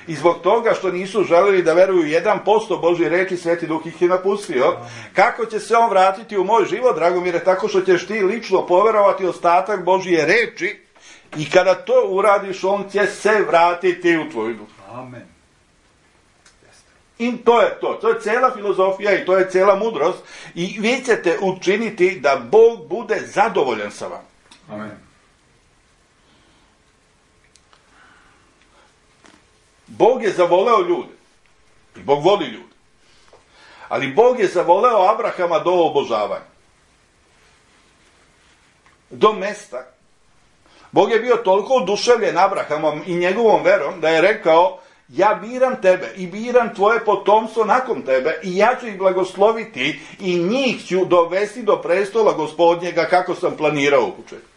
I zbog toga što nisu želeli da veruju 1% Božje reči, Sveti Duh ih je napustio. Kako će se on vratiti u moj život, Dragomire? Tako što ćeš ti lično poverovati ostatak Božje reči i kada to uradiš, on će se vratiti u tvoj duh. Amen. I to je to. To je cijela filozofija i to je cijela mudrost. I vi ćete učiniti da Bog bude zadovoljan sa vama. Amen. Bog je zavoleo ljude. I Bog voli ljude. Ali Bog je zavoleo Abrahama do obožavanja. Do mesta. Bog je bio toliko oduševljen Abrahamom i njegovom verom da je rekao, ja biram tebe i biram tvoje potomstvo nakon tebe i ja ću ih blagosloviti i njih ću dovesti do prestola Gospodnjega kako sam planirao u početku.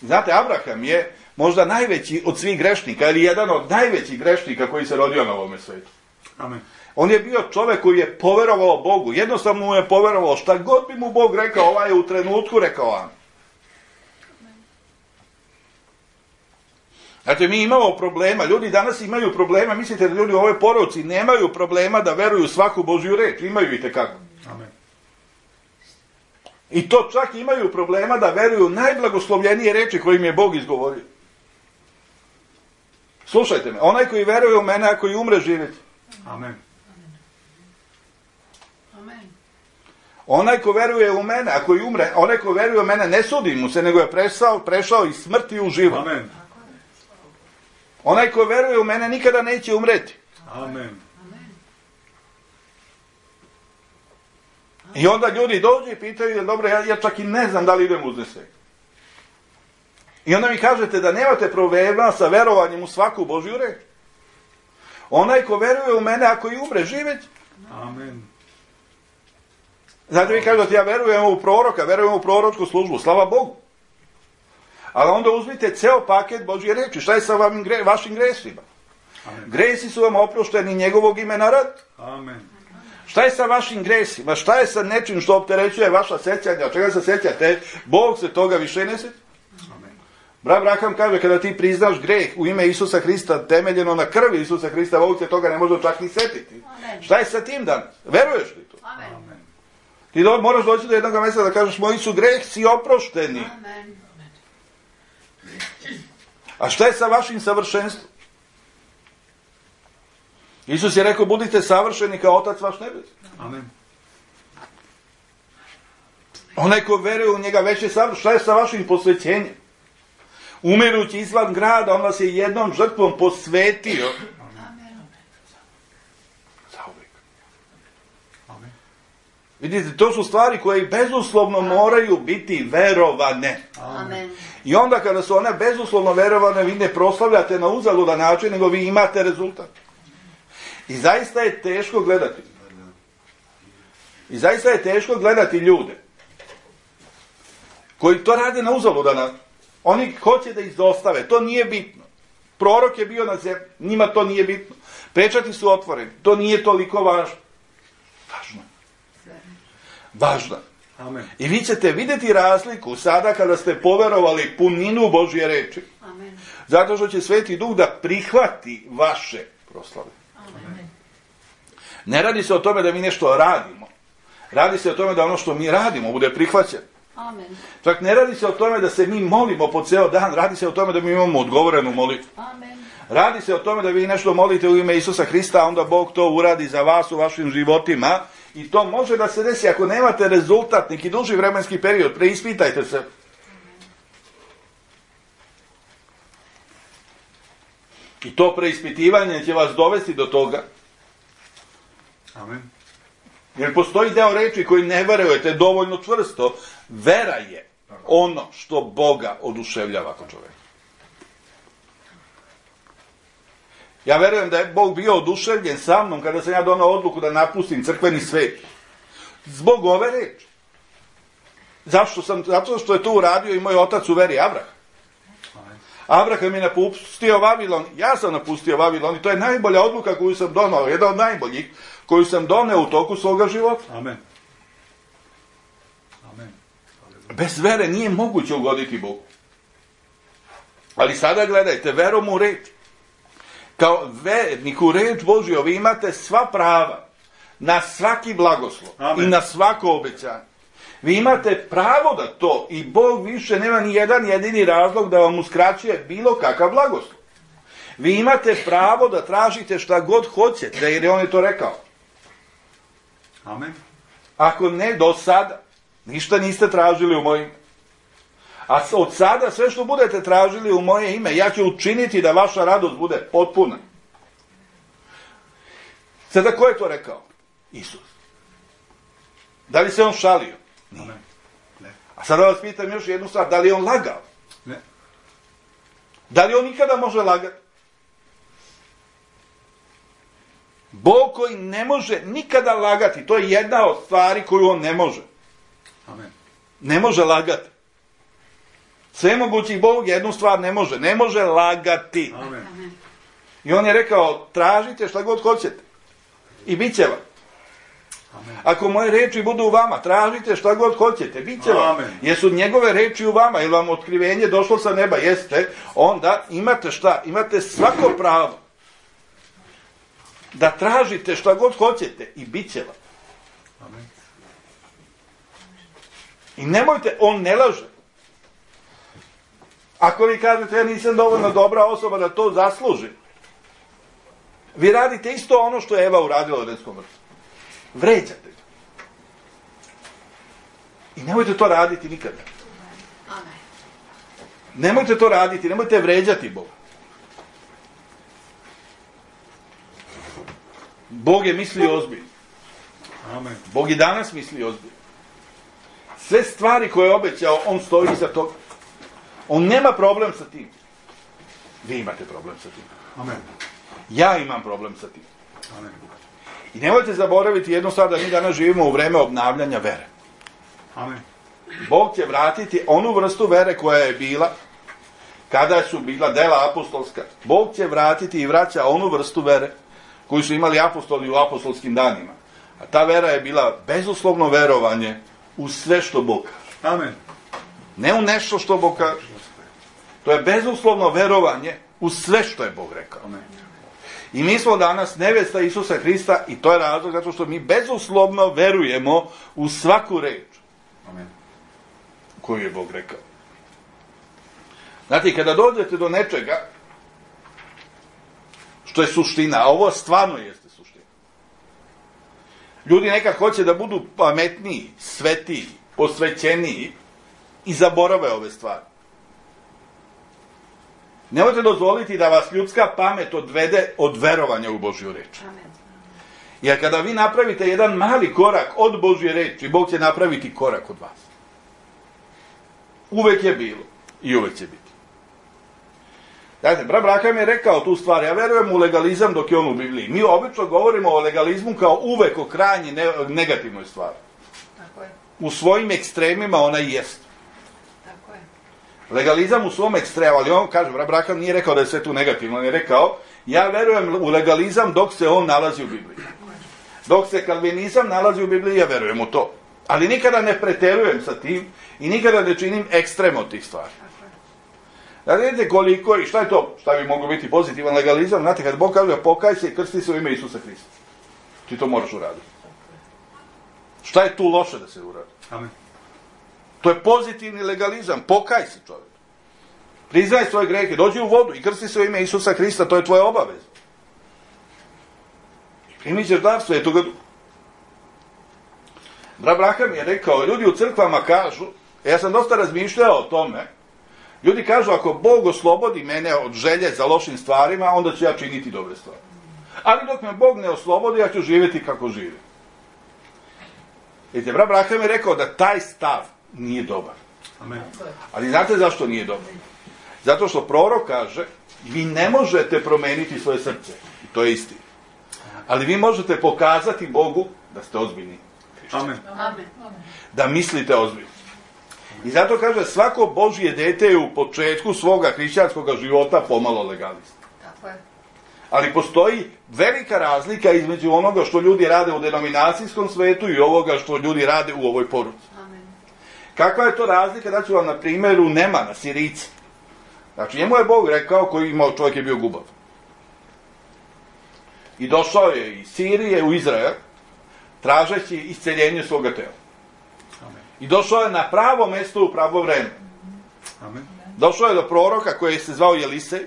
Znate, Abraham je možda najveći od svih grešnika, ili jedan od najvećih grešnika koji se rodio na ovome svijetu. Amen. On je bio čovjek koji je poverovao Bogu, jednostavno mu je poverovao, šta god bi mu Bog rekao, ovaj je u trenutku rekao amen. Znači, mi imamo problema, ljudi danas imaju problema, mislite da ljudi u ovoj poruci nemaju problema da veruju svaku Božju reč, imaju i tekako. Amen. I to čak imaju problema da veruju najblagoslovljenije reči koje im je Bog izgovorio. Slušajte me, onaj koji veruje u mene, ako i umre, živjeti. Amen. Onaj ko veruje u mene, ako i umre, onaj ko veruje u mene, ne sudi mu se, nego je prešao iz smrti u život. Amen. Onaj ko veruje u mene nikada neće umreti. Amen. I onda ljudi dođu i pitaju, dobro, ja čak i ne znam da li idem uznesek. I onda mi kažete da nemate problema sa verovanjem u svaku Božju reč. Onaj ko veruje u mene, ako i umre, živjeti. Amen. Znate, vi kažete, ja verujem u proroka, verujem u proročku službu, slava Bogu. Ali onda uzmite ceo paket Božje reči. Šta je sa vašim gresima? Amen. Gresi su vam oprošteni njegovog imena rad. Amen. Šta je sa vašim gresima? Šta je sa nečim što opterećuje vaša sećanja? Čega se sećate? Bog se toga više ne sjeća. Brat Abraham kaže, kada ti priznaš greh u ime Isusa Hrista, temeljeno na krvi Isusa Hrista, Bog se toga ne može čak ni setiti. Amen. Šta je sa tim danas? Veruješ li to? Amen. Ti moraš doći do jednog mjesta da kažeš, moji su gresi oprošteni. Amen. A šta je sa vašim savršenstvom? Isus je rekao, budite savršeni kao Otac vaš nebeski. Amen. Onaj ko veruje u njega već je savršen. Šta je sa vašim posvećenjem? Umirući izvan grada, on vas je jednom žrtvom posvetio. Amen. Zauvijek. Amen. Vidite, to su stvari koje bezuslovno moraju biti verovane. Amen. I onda kada su one bezuslovno verovane, vi ne proslavljate na uzaludan način, nego vi imate rezultat. I zaista je teško gledati. I zaista je teško gledati ljude koji to rade na uzaludan način. Oni hoće da izostave, to nije bitno. Prorok je bio na zemlji, njima to nije bitno. Pečati su otvoreni, to nije toliko važno. Važno. Važno. Amen. I vi ćete vidjeti razliku sada kada ste poverovali puninu Božje reči. Amen. Zato što će Sveti Duh da prihvati vaše proslave. Amen. Ne radi se o tome da mi nešto radimo. Radi se o tome da ono što mi radimo bude prihvaćeno. Amen. Čak ne radi se o tome da se mi molimo po ceo dan, radi se o tome da mi imamo odgovorenu molitvu. Amen. Radi se o tome da vi nešto molite u ime Isusa Hrista, a onda Bog to uradi za vas u vašim životima. I to može da se desi ako nemate rezultat, neki duži vremenski period, preispitajte se. I to preispitivanje će vas dovesti do toga. Amen. Jer postoji deo reči koji ne verujete dovoljno čvrsto. Vera je ono što Boga oduševljava kod čoveka. Ja verujem da je Bog bio oduševljen sa mnom kada sam ja donao odluku da napustim crkveni svet. Zbog ove reči. Zato što je to uradio i moj otac u veri, Abraham. Abraham je napustio Vavilon, ja sam napustio Vavilon i to je najbolja odluka koju sam donao, jedna od najboljih koju sam doneo u toku svoga života. Amen. Amen. Bez vere nije moguće ugoditi Bogu. Ali sada gledajte, verom u reč. Kao vernik u reč Božju vi imate sva prava na svaki blagoslov. Amen. I na svako obećanje. Vi imate pravo da to i Bog više nema ni jedan jedini razlog da vam uskraćuje bilo kakav blagoslov. Vi imate pravo da tražite šta god hoćete, jer on je to rekao. Amen. Ako ne do sada, ništa niste tražili u moje ime. A od sada sve što budete tražili u moje ime, ja ću učiniti da vaša radost bude potpuna. Sada ko je to rekao? Isus. Da li se on šalio? Nije. Amen. Ne. A sada vas pitam još jednu stvar, da li je on lagao? Ne. Da li on ikada može lagati? Bog koji ne može nikada lagati, to je jedna od stvari koju on ne može. Amen. Ne može lagati. Svemogući Bog jednu stvar ne može lagati. Amen. Amen. I on je rekao, tražite šta god hoćete. I bit će vam. Amen. Ako moje reči budu u vama, tražite šta god hoćete, bit će vam. Amen. Jesu njegove reči u vama, ili vam otkrivenje došlo sa neba, jeste, onda imate šta? Imate svako pravo da tražite šta god hoćete i bit će vam. Amen. I nemojte, on ne laže. Ako vi kažete, ja nisam dovoljno dobra osoba da to zaslužim, vi radite isto ono što je Eva uradila u Edenskom vrtu. Vređate ga. I nemojte to raditi nikada. Amen. Nemojte to raditi, nemojte vređati Boga. Bog je mislio ozbiljno. Amen. Bog i danas misli ozbiljno. Sve stvari koje je obećao, on stoji iza toga. On nema problem sa tim. Vi imate problem sa tim. Amen. Ja imam problem sa tim. Amen. I nemojte zaboraviti jednu stvar, da mi danas živimo u vreme obnavljanja vere. Amen. Bog će vratiti onu vrstu vere koja je bila kada su bila dela apostolska. Bog će vratiti i vraća onu vrstu vere koju su imali apostoli u apostolskim danima. A ta vera je bila bezuslovno verovanje u sve što Bog kaže. Amen. Ne u nešto što Bog kaže. To je bezuslovno verovanje u sve što je Bog rekao. Amen. I mi smo danas nevesta Isusa Hrista i to je razlog zato što mi bezuslovno verujemo u svaku reč Amen. koju je Bog rekao. Znate, kada dođete do nečega što je suština, a ovo stvarno jeste suština. Ljudi nekad hoće da budu pametniji, svetiji, posvećeniji i zaborave ove stvari. Nemojte dozvoliti da vas ljudska pamet odvede od verovanja u Božju reč. Amen. Jer kada vi napravite jedan mali korak od Božje reči, Bog će napraviti korak od vas. Uvek je bilo i uvek će biti. Znate, brat Braham je rekao tu stvar, ja verujem u legalizam dok je on u Bibliji. Mi obično govorimo o legalizmu kao uvek o krajnji negativnoj stvari. Tako je. U svojim ekstremima ona i jest. Tako je. Legalizam u svom ekstremu, ali on kaže, brat Braham nije rekao da je sve tu negativno, on je rekao, ja verujem u legalizam dok se on nalazi u Bibliji. Dok se kalvinizam nalazi u Bibliji, ja verujem u to. Ali nikada ne preterujem sa tim i nikada ne činim ekstrem od tih stvari. Da vidite koliko i šta je to, šta bi moglo biti pozitivan legalizam, znate, kad Bog kaže pokaj se i krsti se u ime Isusa Hrista. Ti to moraš uraditi. Šta je tu loše da se uradi? Amen. To je pozitivni legalizam, pokaj se čovjek. Priznaj svoje grehe, dođi u vodu i krsti se u ime Isusa Hrista, to je tvoja obaveza. I primit ćeš dar Svetoga Duha. Brat Braham je rekao, ljudi u crkvama kažu, ja sam dosta razmišljao o tome, ljudi kažu, ako Bog oslobodi mene od želje za lošim stvarima, onda ću ja činiti dobre stvari. Ali dok me Bog ne oslobodi, ja ću živjeti kako živim. Vidite, brat Braham je rekao da taj stav nije dobar. Amen. Ali znate zašto nije dobar? Zato što prorok kaže, vi ne možete promeniti svoje srce. I to je istina. Ali vi možete pokazati Bogu da ste ozbiljni. Amen. Amen. Da mislite ozbiljno. I zato kaže, svako Božje dete je u početku svoga hrišćanskog života pomalo legalista. Tako je. Ali postoji velika razlika između onoga što ljudi rade u denominacijskom svetu i ovoga što ljudi rade u ovoj poruci. Amen. Kakva je to razlika? Daću vam na primjeru Nemana, Sirica. Znači, njemu je Bog rekao, koji imao, čovjek je bio gubav. I došao je iz Sirije u Izrael, tražeći isceljenje svoga tela. Amen. I došao je na pravo mesto u pravo vreme. Amen. Došao je do proroka koji se zvao Jelisej.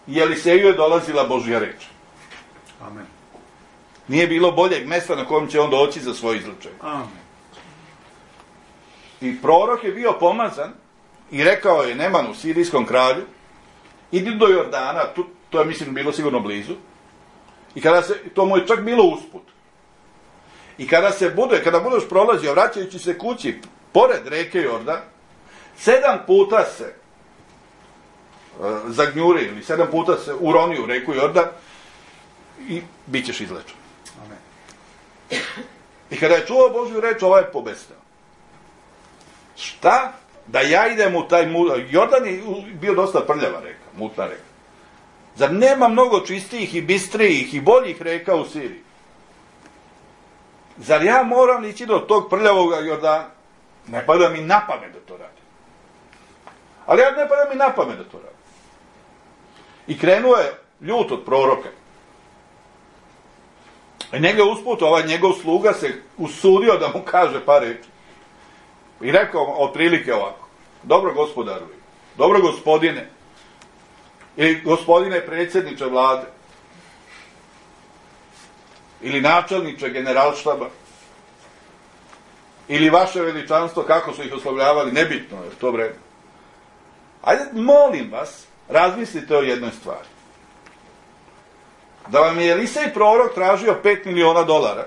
I Jeliseju je dolazila Božja reč. Amen. Nije bilo boljeg mesta na kojem će on doći za svoje izlečenje. Amen. I prorok je bio pomazan i rekao je Nemanu, sirijskom kralju, idi do Jordana, to je mislim bilo sigurno blizu, i to mu je čak bilo usput. I kada budeš prolazio, vraćajući se kući, pored reke Jordan, 7 puta se zagnjuri ili 7 puta se uroni u reku Jordan i bit ćeš izlečen. Amen. I kada je čuo Božju reč, ovaj je pobesneo. Šta? Da ja idem u taj Jordan je bio dosta prljava reka, mutna reka. Zar nema mnogo čistijih i bistrijih i boljih reka u Siriji? Zar ja moram ići do tog prljavog Jordana? Ne pada mi na pamet da to radim. Ali ja ne pada mi na pamet da to radim. I krenuo je ljut od proroka. I njega usput, ovaj njegov sluga se usudio da mu kaže par reči. I rekao otprilike ovako, dobro gospodaru, dobro gospodine, ili gospodine predsjedniče vlade, ili načelniče generalštaba, ili vaše veličanstvo, kako su ih oslovljavali, nebitno je to vreme. Ajde, molim vas, razmislite o jednoj stvari. Da vam je Jelisej prorok tražio $5 miliona,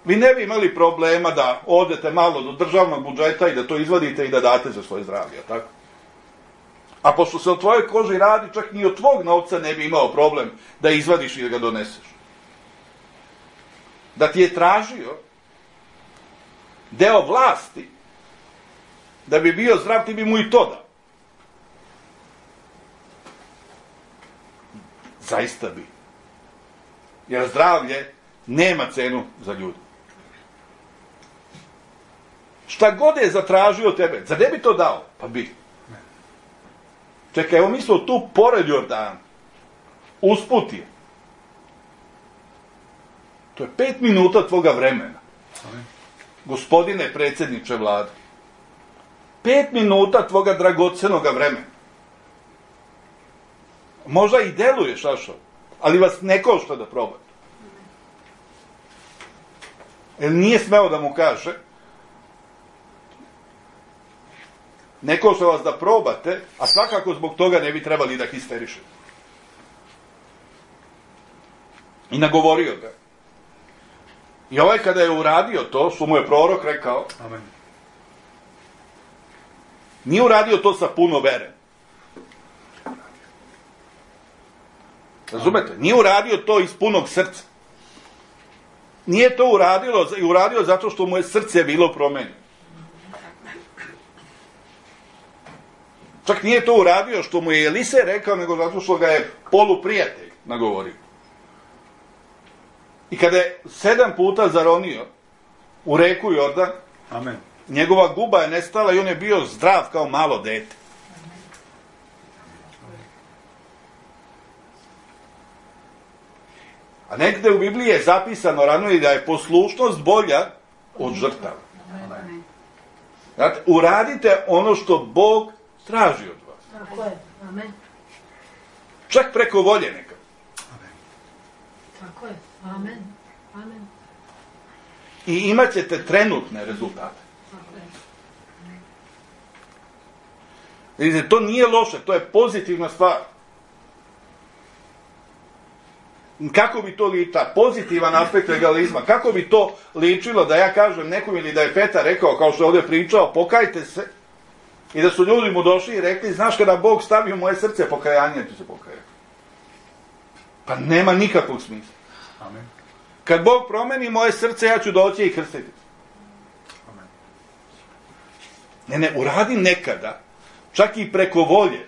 vi ne bi imali problema da odete malo do državnog budžeta i da to izvadite i da date za svoje zdravlje, tako? A pošto se o tvojoj koži radi, čak ni od tvog novca ne bi imao problem da izvadiš i da ga doneseš. Da ti je tražio deo vlasti, da bi bio zdrav, ti bi mu i to dao. Zaista bi. Jer zdravlje nema cenu za ljudi. Šta god je zatražio tebe, za ne bi to dao? Pa bi. Čekaj, evo mi smo tu pored Jordana. Usput je. To je 5 minuta tvoga vremena. Gospodine predsjedniče vlade. 5 minuta tvoga dragocenoga vremena. Možda i deluje šašao, ali vas ne košta da probate. Jer nije smeo da mu kaže, ne košta vas da probate, a svakako zbog toga ne bi trebali da histerišete. I nagovorio ga. I ovaj kada je uradio to, što mu je prorok rekao, Amen. nije uradio to sa puno vere. Razumete? Nije uradio to iz punog srca. Nije to uradio zato što mu je srce bilo promenjeno. Čak nije to uradio što mu je Elise rekao, nego zato što ga je poluprijatelj nagovorio. I kada je 7 puta zaronio u reku Jordan, Amen. njegova guba je nestala i on je bio zdrav kao malo dete. A negde u Bibliji je zapisano rano i da je poslušnost bolja od žrtava. Znate, uradite ono što Bog traži od vas. Tako je. Amen. Čak preko volje neka. Tako je. Amen. Amen. I imat ćete trenutne rezultate. Tako je. Vidite, to nije loše, to je pozitivna stvar. Kako bi to ličilo, pozitivan aspekt legalizma, kako bi to ličilo da ja kažem nekom ili da je Petar rekao, kao što je ovdje pričao, pokajte se, i da su ljudi mu došli i rekli, znaš kada Bog stavi u moje srce pokajanje, tu se pokajao. Pa nema nikakvog smisla. Amen. Kad Bog promeni moje srce, ja ću doći i krstiti. Amen. Ne, uradi nekada, čak i preko volje,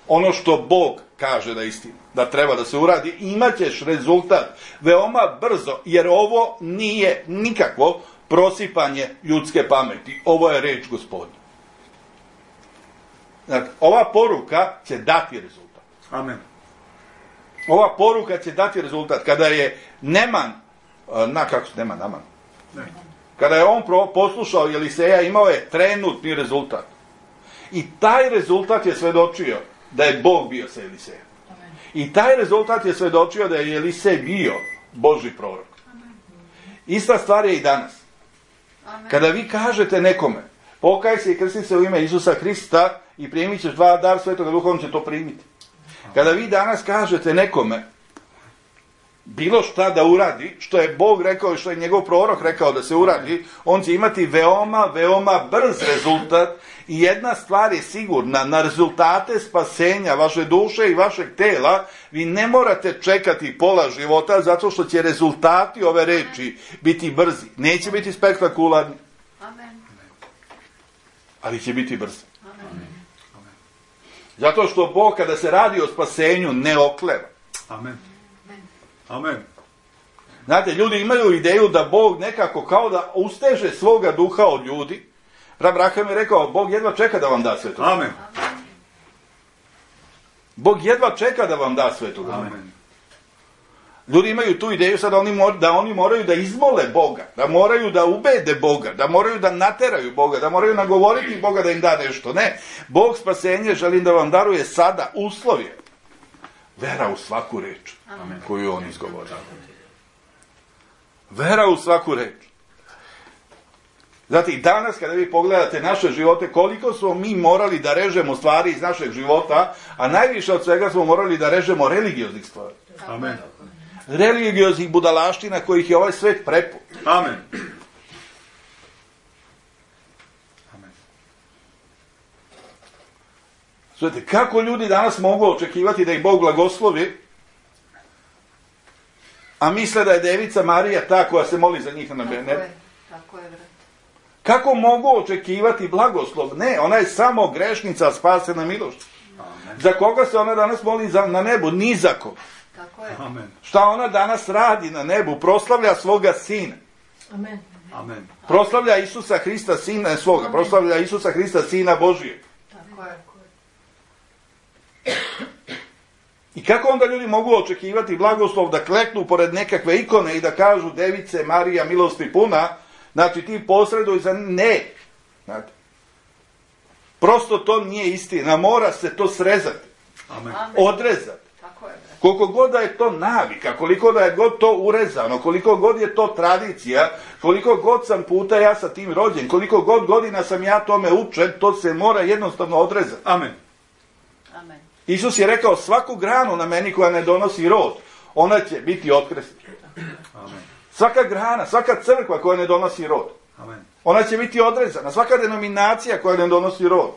ono što Bog kaže da je istina, da treba da se uradi, imat ćeš rezultat veoma brzo, jer ovo nije nikakvo prosipanje ljudske pameti. Ovo je reč Gospodnja. Znači, ova poruka će dati rezultat. Amen. Ova poruka će dati rezultat. Kada je Naman, Ne. kada je on poslušao Eliseja, imao je trenutni rezultat. I taj rezultat je svedočio da je Bog bio sa Elisejem. I taj rezultat je svedočio da je Elisej bio Božji prorok. Ista stvar je i danas. Kada vi kažete nekome, pokaj se i krsti se u ime Isusa Hrista i primit ćeš dar Svetoga Duha, on će to primiti. Kada vi danas kažete nekome bilo šta da uradi, što je Bog rekao i što je njegov prorok rekao da se uradi, on će imati veoma, veoma brz rezultat i jedna stvar je sigurna, na rezultate spasenja vaše duše i vašeg tela vi ne morate čekati pola života zato što će rezultati ove reči biti brzi. Neće biti spektakularni, ali će biti brzi. Zato što Bog kada se radi o spasenju ne okleva. Amen. Amen. Znate, ljudi imaju ideju da Bog nekako kao da usteže svoga duha od ljudi. Abraham je rekao, Bog jedva čeka da vam da Svetog. Amen. Bog jedva čeka da vam da Svetog. Amen. Ljudi imaju tu ideju sad da oni moraju da izmole Boga, da moraju da ubede Boga, da moraju da nateraju Boga, da moraju nagovoriti Boga da im da nešto. Ne, Bog spasenje želim da vam daruje sada, uslov je vera u svaku reč koju on izgovori. Vera u svaku reč. Znate, i danas kada vi pogledate naše živote, koliko smo mi morali da režemo stvari iz našeg života, a najviše od svega smo morali da režemo religioznih stvari. Amen. Religioznih budalaština kojih je ovaj svet prepun. Amen. Amen. Znate, kako ljudi danas mogu očekivati da ih Bog blagoslovi, a misle da je Devica Marija ta koja se moli za njih na nebu? Tako je, brat. Kako mogu očekivati blagoslov? Ne, ona je samo grešnica spasena milošću. Za koga se ona danas moli na nebu? Ni za koga. Tako je. Amen. Šta ona danas radi na nebu? Proslavlja svoga sina. Amen. Amen. Proslavlja Isusa Hrista, sina svoga. Proslavlja Isusa Hrista, sina Božijeg. Tako je. I kako onda ljudi mogu očekivati blagoslov da kleknu pored nekakve ikone i da kažu Device Marija milosti puna, znači ti posreduj za ne. Znate. Prosto to nije istina, mora se to srezati, Amen. odrezati. Tako je, brat. Koliko god da je to navika, koliko da je god to urezano, koliko god je to tradicija, koliko god sam puta ja sa tim rođen, koliko god godina sam ja tome učen, to se mora jednostavno odrezati. Amen. Amen. Isus je rekao, svaku granu na meni koja ne donosi rod, ona će biti otkresnuta. Amen. Svaka grana, svaka crkva koja ne donosi rod, Amen. ona će biti odrezana. Svaka denominacija koja ne donosi rod.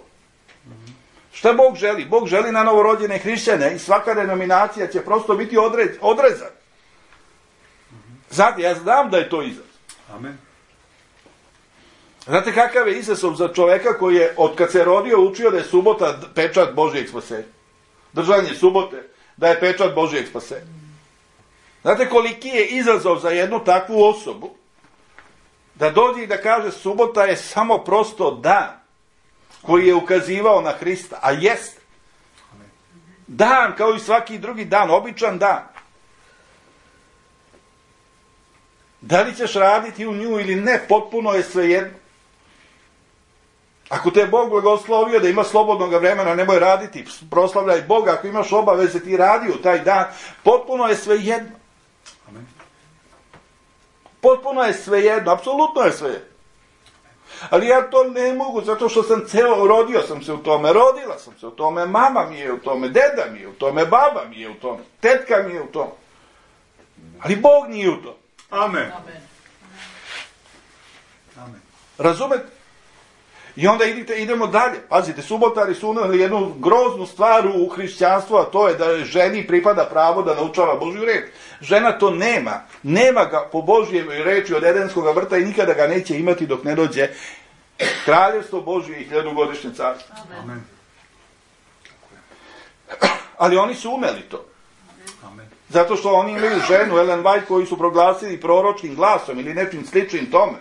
Šta Bog želi? Bog želi na novorođene hrišćane i svaka denominacija će prosto biti odrezana. Znate, ja znam da je to izazov. Amen. Znate kakav je izazov za čoveka koji je od kad se rodio učio da je subota pečat Božijeg spasenja. Držanje subote da je pečat Božijeg spasenja. Znate koliki je izazov za jednu takvu osobu da dođe i da kaže subota je samo prosto dan koji je ukazivao na Hrista, a jest dan kao i svaki drugi dan, običan dan. Da li ćeš raditi u nju ili ne, potpuno je svejedno. Ako te je Bog blagoslovio da ima slobodnog vremena, nemoj raditi, proslavljaj Boga. Ako imaš obaveze, ti radi u taj dan, potpuno je svejedno. Amen. Potpuno je svejedno, apsolutno je svejedno. Ali ja to ne mogu, zato što sam rodio sam se u tome, rodila sam se u tome, mama mi je u tome, deda mi je u tome, baba mi je u tome, tetka mi je u tome. Ali Bog nije u tome. Amen. Amen. Razumete? I onda idemo dalje. Pazite, subotari su uneli jednu groznu stvar u hrišćanstvu, a to je da ženi pripada pravo da naučava Božju reč. Žena to nema. Nema ga po Božjoj reči od Edenskog vrta i nikada ga neće imati dok ne dođe kraljevstvo Božje i 1000-godišnje carstvo. Amen. Ali oni su umeli to. Amen. Zato što oni imaju ženu, Ellen White, koju su proglasili proročkim glasom ili nečim sličnim tome.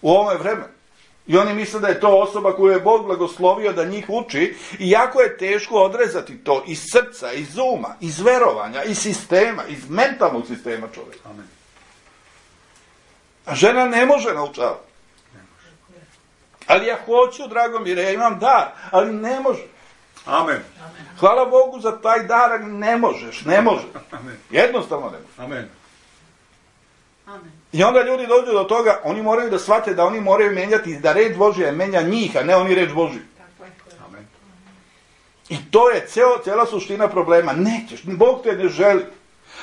U ovome vremenu. I oni misle da je to osoba koju je Bog blagoslovio da njih uči, i jako je teško odrezati to iz srca, iz uma, iz verovanja, iz sistema, iz mentalnog sistema čovjeka. Amen. A žena ne može naučavati. Ali ja hoću, drago mi, ja imam dar, ali ne može. Amen. Hvala Bogu za taj dar, ali ne možeš, ne može. Amen. Jednostavno ne može. Amen. I onda ljudi dođu do toga, oni moraju da shvate da oni moraju menjati, da reč Božja menja njih, a ne oni reč Božju. Amen. I to je cijela suština problema. Nećeš, Bog te ne želi.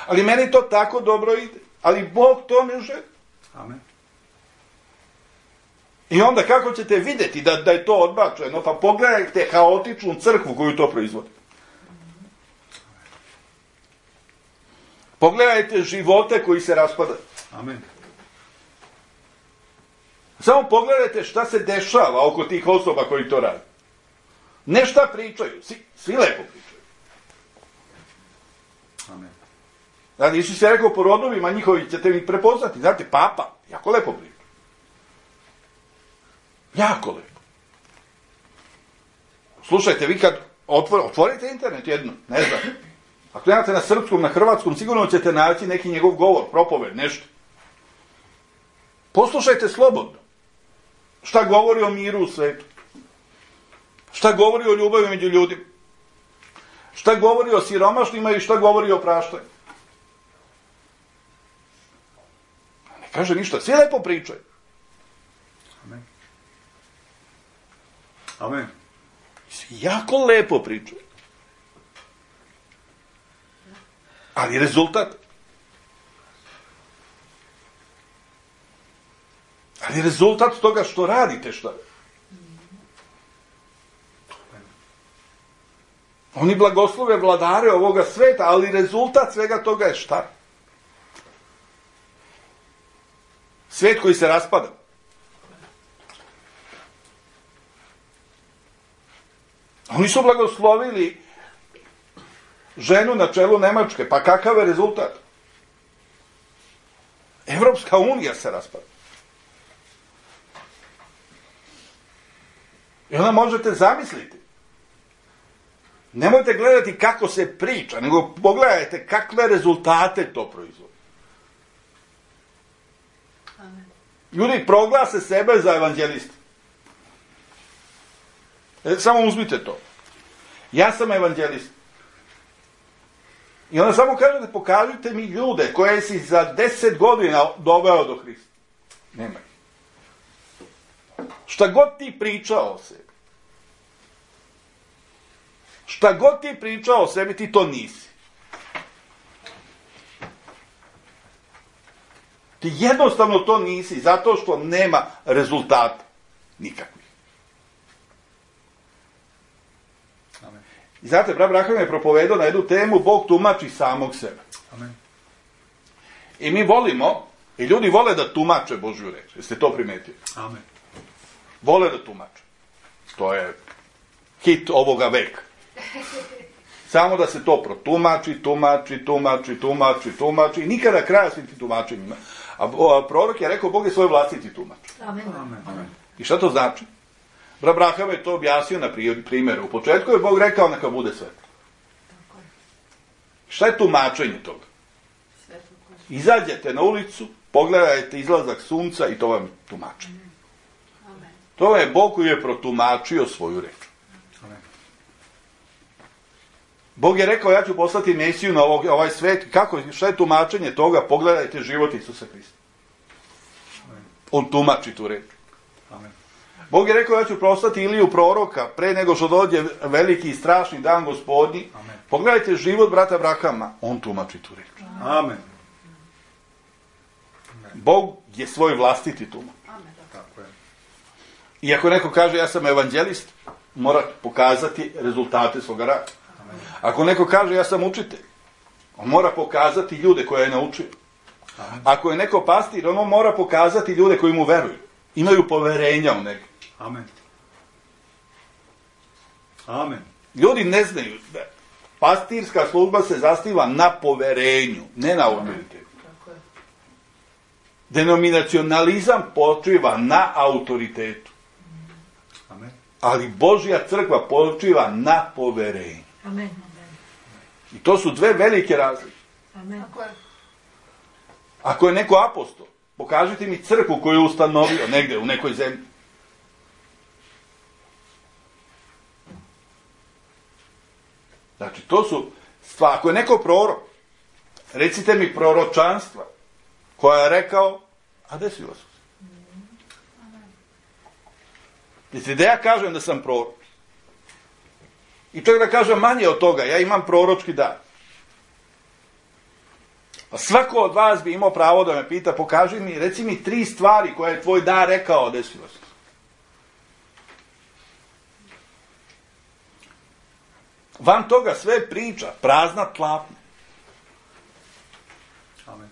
Ali meni to tako dobro ide. Ali Bog to ne želi. Amen. I onda kako ćete vidjeti da je to odbačeno? Pa pogledajte haotičnu crkvu koju to proizvodi. Pogledajte živote koji se raspadaju. Amen. Samo pogledajte šta se dešava oko tih osoba koji to rade. Ne šta pričaju, svi lepo pričaju. Amen. Znači, Isus je rekao po rodovima njihovi ćete mi prepoznati. Znate, papa, jako lepo priča. Jako lepo. Slušajte, vi kad otvorite internet jedno, ne znam, ako nemate na srpskom, na hrvatskom, sigurno ćete naći neki njegov govor, propoved, nešto. Poslušajte slobodno. Šta govori o miru u svetu? Šta govori o ljubavi među ljudima? Šta govori o siromašnima i šta govori o praštanju? Ne kaže ništa, svi lepo pričaju. Amen. Amen. Svi jako lepo pričaju. Ali rezultat? Ali rezultat toga što radite, šta? Oni blagoslove vladare ovoga sveta, ali rezultat svega toga je šta? Svet koji se raspada. Oni su blagoslovili ženu na čelu Nemačke, pa kakav je rezultat? Evropska unija se raspada. I onda možete zamisliti. Nemojte gledati kako se priča, nego pogledajte kakve rezultate to proizvodi. Ljudi proglase sebe za evanđeliste. Samo uzmite to. Ja sam evanđelist. I onda samo kažete, pokažite mi ljude koje si za 10 godina doveo do Hrista. Nema. Šta god ti pričao o sebi. Šta god ti pričao o sebi, ti to nisi. Ti jednostavno to nisi, zato što nema rezultata nikakvih. Amen. I znate, brat Braham je propovedao na jednu temu, Bog tumači samog sebe. Amen. I mi volimo, i ljudi vole da tumače Božju reč. Jeste to primetili? Amen. Vole da tumače. To je hit ovoga veka. Samo da se to protumači, tumači, i nikada kraja svim tim tumačenjima. A prorok je rekao, Bog je svoj vlastiti tumač. Amen. Amen. I šta to znači? Brat Braham je to objasnio na primjeru. U početku je Bog rekao, neka bude svetlo. Tako je. Šta je tumačenje toga? Svetlo koje. Izađete na ulicu, pogledajte izlazak sunca i to vam je tumačenje. Amen. To je Bog koji je protumačio svoju reč. Amen. Bog je rekao, ja ću poslati Mesiju na ovaj svet. Kako, šta je tumačenje toga? Pogledajte život Isusa Hrista. On tumači tu reč. Amen. Bog je rekao, ja ću poslati Iliju proroka pre nego što dođe veliki i strašni dan Gospodnji. Amen. Pogledajte život brata Brahama. On tumači tu reč. Amen. Bog je svoj vlastiti tumač. Amen. Tako je. I ako neko kaže, ja sam evanđelist, mora pokazati rezultate svoga rada. Amen. Ako neko kaže, ja sam učitelj, on mora pokazati ljude koje je naučio. Amen. Ako je neko pastir, on mora pokazati ljude koji mu veruju. Imaju poverenja u njega. Amen. Amen. Ljudi ne znaju da pastirska služba se zasniva na poverenju, ne na autoritetu. Tako je. Denominacionalizam počiva na autoritetu. Amen. Ali Božja crkva počiva na poverenju. Amen. I to su dve velike razlike. Amen. Tako je. Ako je neko apostol, pokažite mi crkvu koju je ustanovio negde u nekoj zemlji. Znači, to su stvari. Ako je neko prorok, recite mi proročanstva koja je rekao, a desilo se. Mislite da ja kažem da sam prorok. I čak da kažem manje od toga, ja imam proročki dar. A svako od vas bi imao pravo da me pita, pokaži mi, reci mi 3 stvari koje je tvoj dar rekao, desilo se. Van toga sve priča, prazna tlapnja. Amen.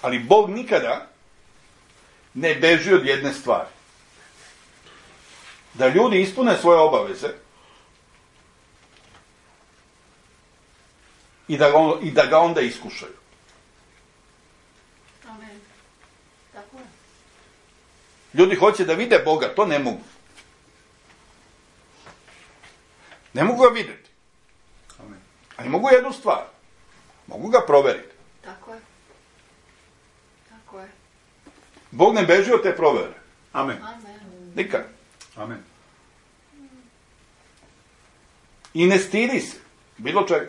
Ali Bog nikada ne beži od jedne stvari. Da ljudi ispune svoje obaveze i da ga onda iskušaju. Amen. Tako je. Ljudi hoće da vide Boga, to ne mogu. Ne mogu ga vidjeti. Amen. Ali mogu jednu stvar. Mogu ga proveriti. Tako je. Tako je. Bog ne beži od te provere. Amen. Amen. Nikad. Amen. I ne stidi se. Bilo čega.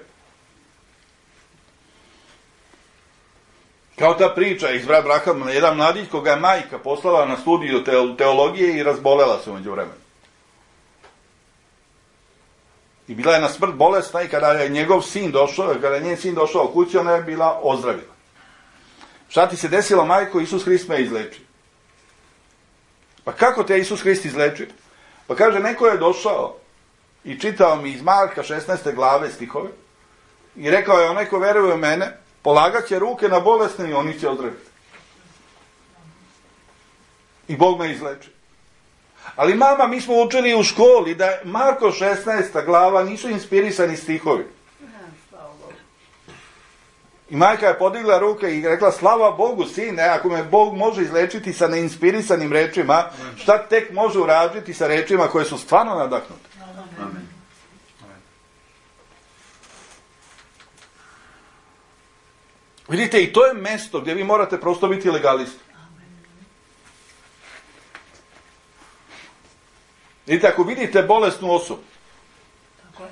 Kao ta priča iz Brat Brahama, jedan mladić koga je majka poslala na studiju teologije i razbolela se umeđu vremenu. I bila je na smrt bolesna i kada je njegov sin došao, kada je njen sin došao u kući, ona je bila ozdravila. Šta ti se desilo, majko? Isus Hrist me izlečio. Pa kako te Isus Hrist izlečio? Pa kaže, neko je došao i čitao mi iz Marka 16. glave stihove i rekao je, onaj ko veruje u mene, polagat će ruke na bolesne i oni će ozdraviti. I Bog me izlečio. Ali mama, mi smo učili u školi da Marko 16. glava nisu inspirisani stihovi. Slava Bogu. I majka je podigla ruke i rekla, slava Bogu, sine, ako me Bog može izlečiti sa neinspirisanim rečima, šta tek može uraditi sa rečima koje su stvarno nadahnute? Amen. Vidite, i to je mesto gdje vi morate prosto biti legalisti. Vidite, ako vidite bolesnu osobu, Tako je.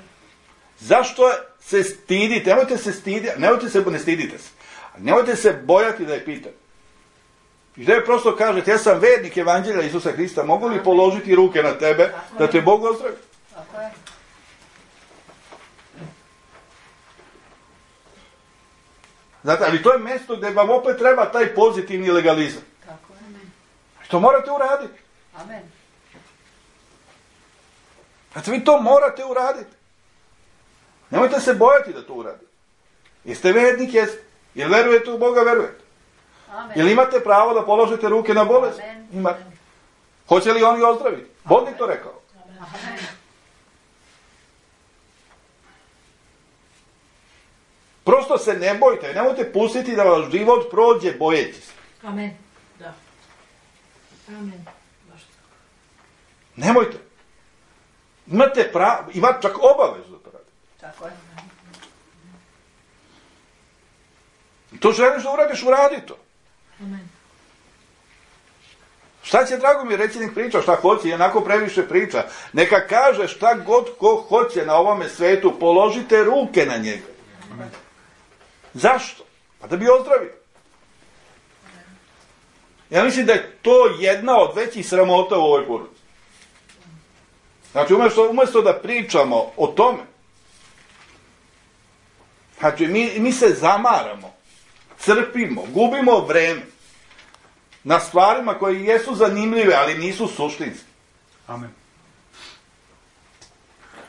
zašto se stidite? Nemojte se stiditi, ne stidite se. Nemojte se bojati da je pitate. I da je prosto kažete, ja sam vernik evanđelja Isusa Hrista, mogu li položiti ruke na tebe da te Bog ozdravi? Tako je. Znate, ali to je mjesto gdje vam opet treba taj pozitivni legalizam. Tako je. To morate uraditi. Amen. Znači, vi to morate uraditi. Nemojte se bojati da to uradite. Jeste vernik, jeste. Jer verujete u Boga, verujete. Amen. Jel imate pravo da položite ruke na bolest? Amen. Imate. Hoće li oni ozdraviti? Bog mi to rekao. Amen. Prosto se ne bojte, nemojte pustiti da vaš život prođe bojeći se. Amen. Da. Amen. Baš tako. Nemojte. Imate pravo, imate čak obavezu da to radite. Tako je. To želiš da uradiš, uradi to. Amen. Šta će Dragomir reći, nek priča šta hoće, i onako previše priča. Neka kaže šta god ko hoće na ovome svetu, položite ruke na njega. Zašto? Pa da bi ozdravio. Ja mislim da je to jedna od većih sramota u ovoj porodici. Znači, umjesto da pričamo o tome, znači, mi se zamaramo, crpimo, gubimo vreme na stvarima koje jesu zanimljive, ali nisu suštinske. Amen.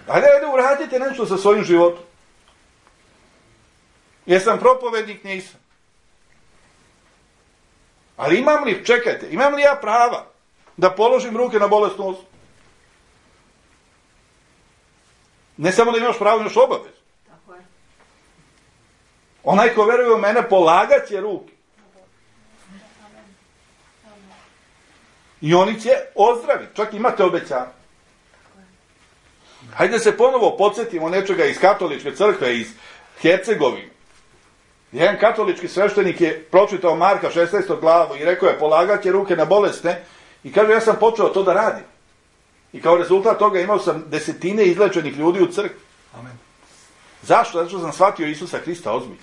Ajde, uradite nešto sa svojim životom. Jesam propovednik? Nisam. Ali imam li ja prava da položim ruke na bolesnu osobu? Ne samo da imaš pravo, imaš obavezu. Tako je. Onaj ko veruje u mene, polagat će ruke. I oni će ozdraviti. Čak imate obećanje. Hajde se ponovo podsjetimo nečega iz katoličke crkve, iz Hercegovine. Jedan katolički sveštenik je pročitao Marka 16. glavu i rekao je, polagat će ruke na bolesne, i kaže, ja sam počeo to da radim. I kao rezultat toga imao sam desetine izlečenih ljudi u crkvi. Amen. Zašto? Zato što sam shvatio Isusa Krista ozbiljno.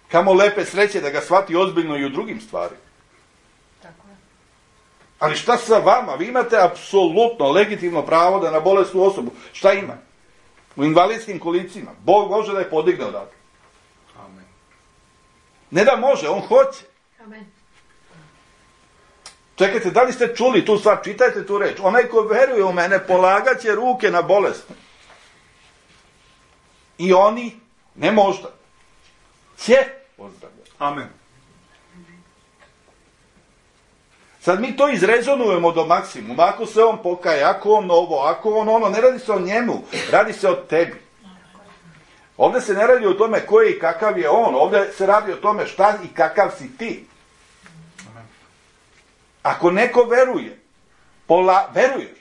Kamo lepe sreće da ga shvati ozbiljno i u drugim stvarima. Tako je. Ali šta sa vama? Vi imate apsolutno legitimno pravo da na bolesnu osobu, šta ima? U invalidskim kolicima. Bog može da je podigne odatle. Amen. Ne da može, on hoće. Amen. Čekajte, da li ste čuli tu stvar? Čitajte tu reč. Onaj ko veruje u mene, polagat će ruke na bolesne. I oni, ne možda, će ozdravljati. Amen. Sad mi to izrezonujemo do maksimuma. Ako se on pokaje, ako on ovo, ako on ono, ne radi se o njemu, radi se o tebi. Ovdje se ne radi o tome ko je i kakav je on, ovdje se radi o tome šta i kakav si ti. Amen. Ako neko veruje, veruješ,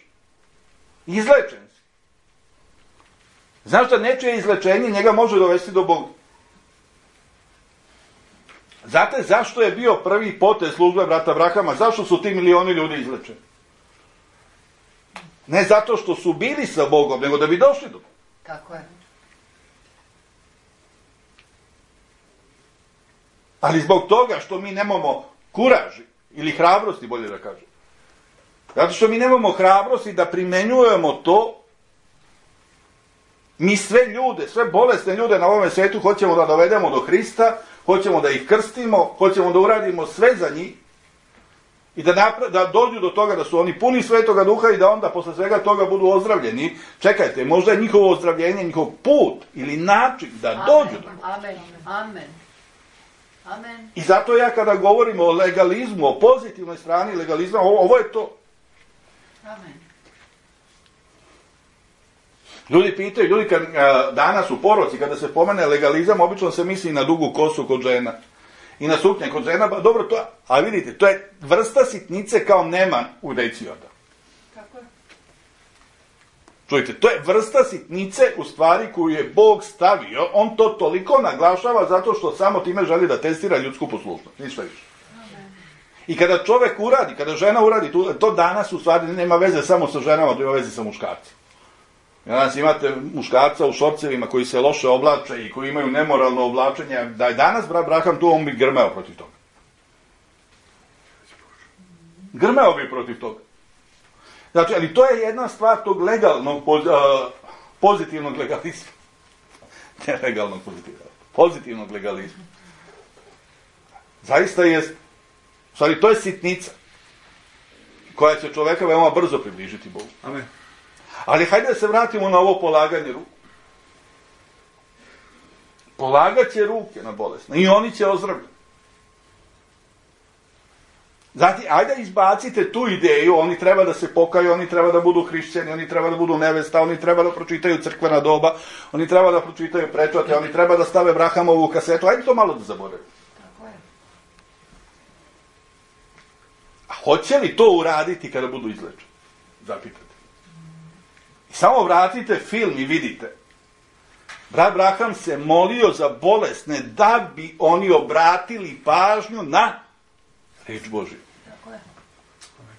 izlečen si. Znaš da nečije izlečenje njega može dovesti do Boga. Znate zašto je bio prvi potez službe brata Abrahama? Zašto su ti milioni ljudi izlečeni? Ne zato što su bili sa Bogom, nego da bi došli do Boga. Tako je. Ali zbog toga što mi nemamo kuraži, ili hrabrosti, bolje da kažem. Zato što mi nemamo hrabrosti da primenjujemo to, mi sve ljude, sve bolesne ljude na ovome svijetu hoćemo da dovedemo do Hrista, hoćemo da ih krstimo, hoćemo da uradimo sve za njih i da dođu do toga da su oni puni Svetoga Duha i da onda posle svega toga budu ozdravljeni. Čekajte, možda je njihovo ozdravljenje, njihov put ili način da dođu do toga. Amen. Amen. Amen. I zato ja kada govorim o legalizmu, o pozitivnoj strani legalizma, ovo je to. Amen. Ljudi pitaju, ljudi kad danas u poroci, kada se pomene legalizam, obično se misli na dugu kosu kod žena. I na suknje kod žena, dobro to, a vidite, to je vrsta sitnice kao neman u deci onda. Tako je. Čujte, to je vrsta sitnice u stvari koju je Bog stavio, on to toliko naglašava zato što samo time želi da testira ljudsku poslušnost, ništa više. I kada čovjek uradi, kada žena uradi, to danas u stvari nema veze samo sa ženama, to ima veze sa muškarcima. Danas imate muškarca u šorcevima koji se loše oblače i koji imaju nemoralno oblačenje. Da je danas brat Braham tu, on bi grmeo protiv toga. Grmeo bi protiv toga. Znači, ali to je jedna stvar tog legalnog, pozitivnog legalizma. Ne legalnog pozitivnog. pozitivnog legalizma. Zaista je, u stvari, to je sitnica koja će čoveka veoma brzo približiti Bogu. Amen. Ali hajde da se vratimo na ovo polaganje ruku. Polagat će ruke na bolesne i oni će ozdravljati. Zatim, ajde izbacite tu ideju, oni treba da se pokaju, oni treba da budu hrišćani, oni treba da budu nevesta, oni treba da pročitaju crkvena doba, oni treba da pročitaju prečate, oni treba da stave Brahamovu kasetu, ajde to malo da zaboravimo. Tako je. A hoće li to uraditi kada budu izlečeni? Zapitate. I samo vratite film i vidite. Brat Braham se molio za bolesne da bi oni obratili pažnju na reč Božju. Tako je.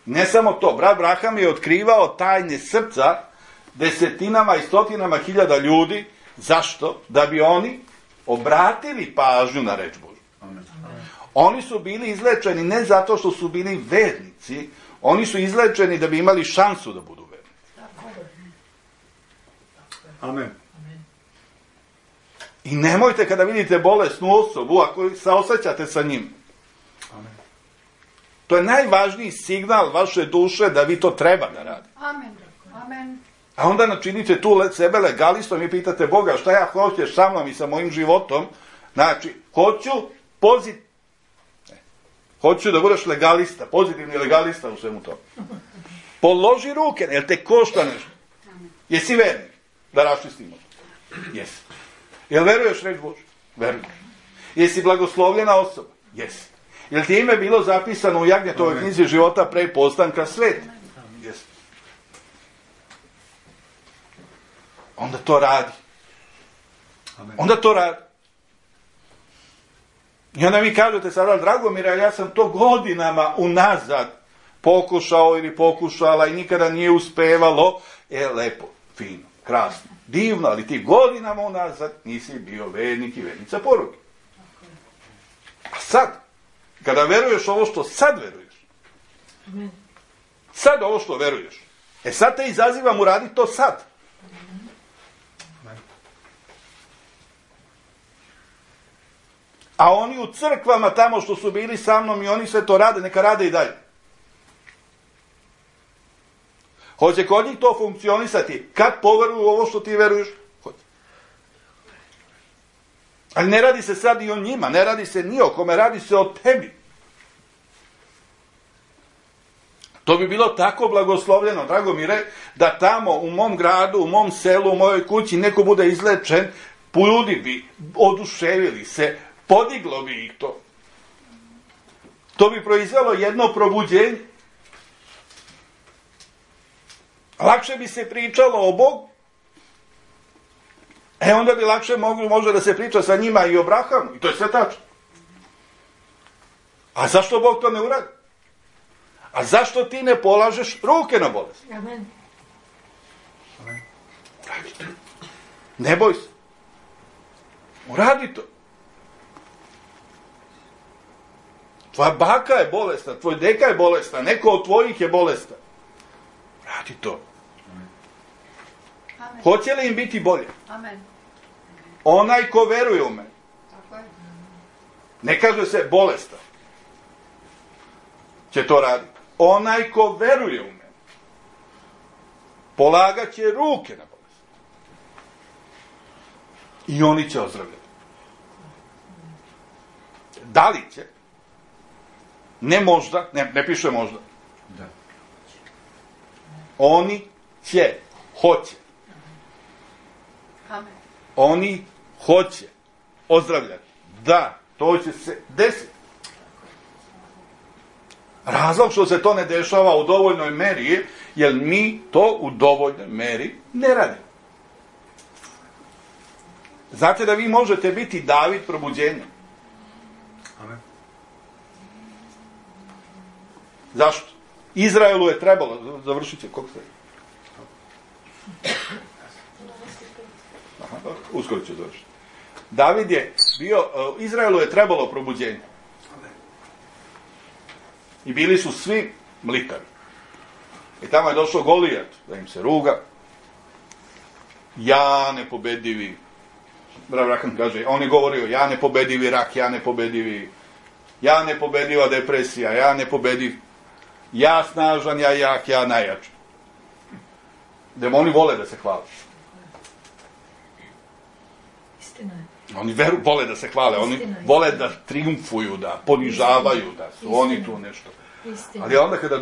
Ne samo to, brat Braham je otkrivao tajne srca desetinama i stotinama hiljada ljudi. Zašto? Da bi oni obratili pažnju na reč Božju. Amen. Oni su bili izlečeni ne zato što su bili vernici, oni su izlečeni da bi imali šansu da budu vernici. Tako je. Amen. I nemojte kada vidite bolesnu osobu, ako saosećate sa njim. Amen. To je najvažniji signal vaše duše da vi to treba da radite. Amen. Amen. A onda načinite tu sebe legalistom i pitate Boga šta ja hoćeš sa mnom i sa mojim životom. Znači, hoću da budeš legalista, pozitivni legalista u svemu tome. Položi ruke, jer te košta nešto. Jesi vernik? Da raščistimo. Jesi. Jel veruješ reč Božju? Veruješ. Jesi blagoslovljena osoba? Jesi. Jel ti ime bilo zapisano u Jagnjetovoj knjizi života pre postanka sveta? Jesi. Onda to radi. Amen. Onda to radi. I onda mi kažete sada, Dragomire, ja sam to godinama unazad pokušao ili pokušala i nikada nije uspevalo. Lepo, fino, krasno, divno, ali ti godinama unazad nisi bio vernik i vernica poruke. A sad, kada veruješ ovo što sad veruješ, sad ovo što veruješ, sad te izazivam uraditi to sad. A oni u crkvama tamo što su bili sa mnom i oni sve to rade, neka rade i dalje. Hoće kod njih to funkcionisati kad poveruju ovo što ti veruješ? Hoće. Ali ne radi se sad i o njima, ne radi se ni o kome, radi se o tebi. To bi bilo tako blagoslovljeno, Dragomire, da tamo u mom gradu, u mom selu, u mojoj kući neko bude izlečen, ljudi bi oduševili se, podiglo bi ih to. To bi proizvelo jedno probuđenje. Lakše bi se pričalo o Bogu. Onda bi lakše može da se priča sa njima i o Brahamu. I to je sve tačno. A zašto Bog to ne uradi? A zašto ti ne polažeš ruke na bolest? Amen. Radi to. Ne boj se. Uradi to. Tvoja baka je bolesna, tvoj deka je bolesna, neko od tvojih je bolestan. Radi to. Amen. Hoće li im biti bolje? Amen. Onaj ko veruje u mene. Tako je. Ne kaže se bolestan. Će to raditi. Onaj ko veruje u mene. Polagat će ruke na bolest. I oni će ozdravljati. Da li će? Ne možda, ne piše možda. Da. Oni će, hoće. Amen. Oni hoće ozdravljati. Da, to će se desiti. Razlog što se to ne dešava u dovoljnoj meri je, jer mi to u dovoljnoj meri ne radimo. Znate da vi možete biti David probuđenja. Amen. Zašto? Izraelu je trebalo, završit će, koliko ste? Aha, uskoro ću završiti. David je bio, Izraelu je trebalo probuđenje. I bili su svi mlikavi. I tamo je došao Golijat da im se ruga. Ja nepobedivi. Brat Branham kaže, on je govorio, ja nepobedivi rak, ja nepobediva depresija, ja nepobediv, ja snažan, ja jak, ja najjači. Demoni vole da se hvale. Istina je. Oni vole da se hvale, oni vole da triumfuju, da ponižavaju, da su oni tu nešto. Istina. Ali onda kada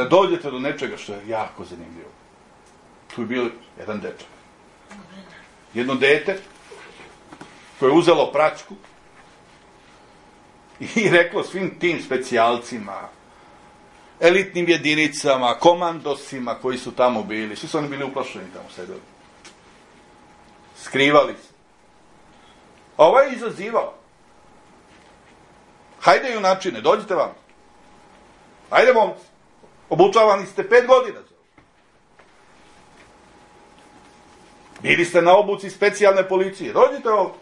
dođete do nečega što je jako zanimljivo, tu je bio jedan dečak. Jedno dete koje je uzelo praćku i reklo svim tim specijalcima, elitnim jedinicama, komandosima koji su tamo bili, svi su oni bili uplašeni tamo sedeli. Skrivali se. A ovaj je izazivao. Hajde junačine, dođite vam. Hajde momci. Obučavani ste 5 godina. Bili ste na obuci specijalne policije. Dođite ovdje.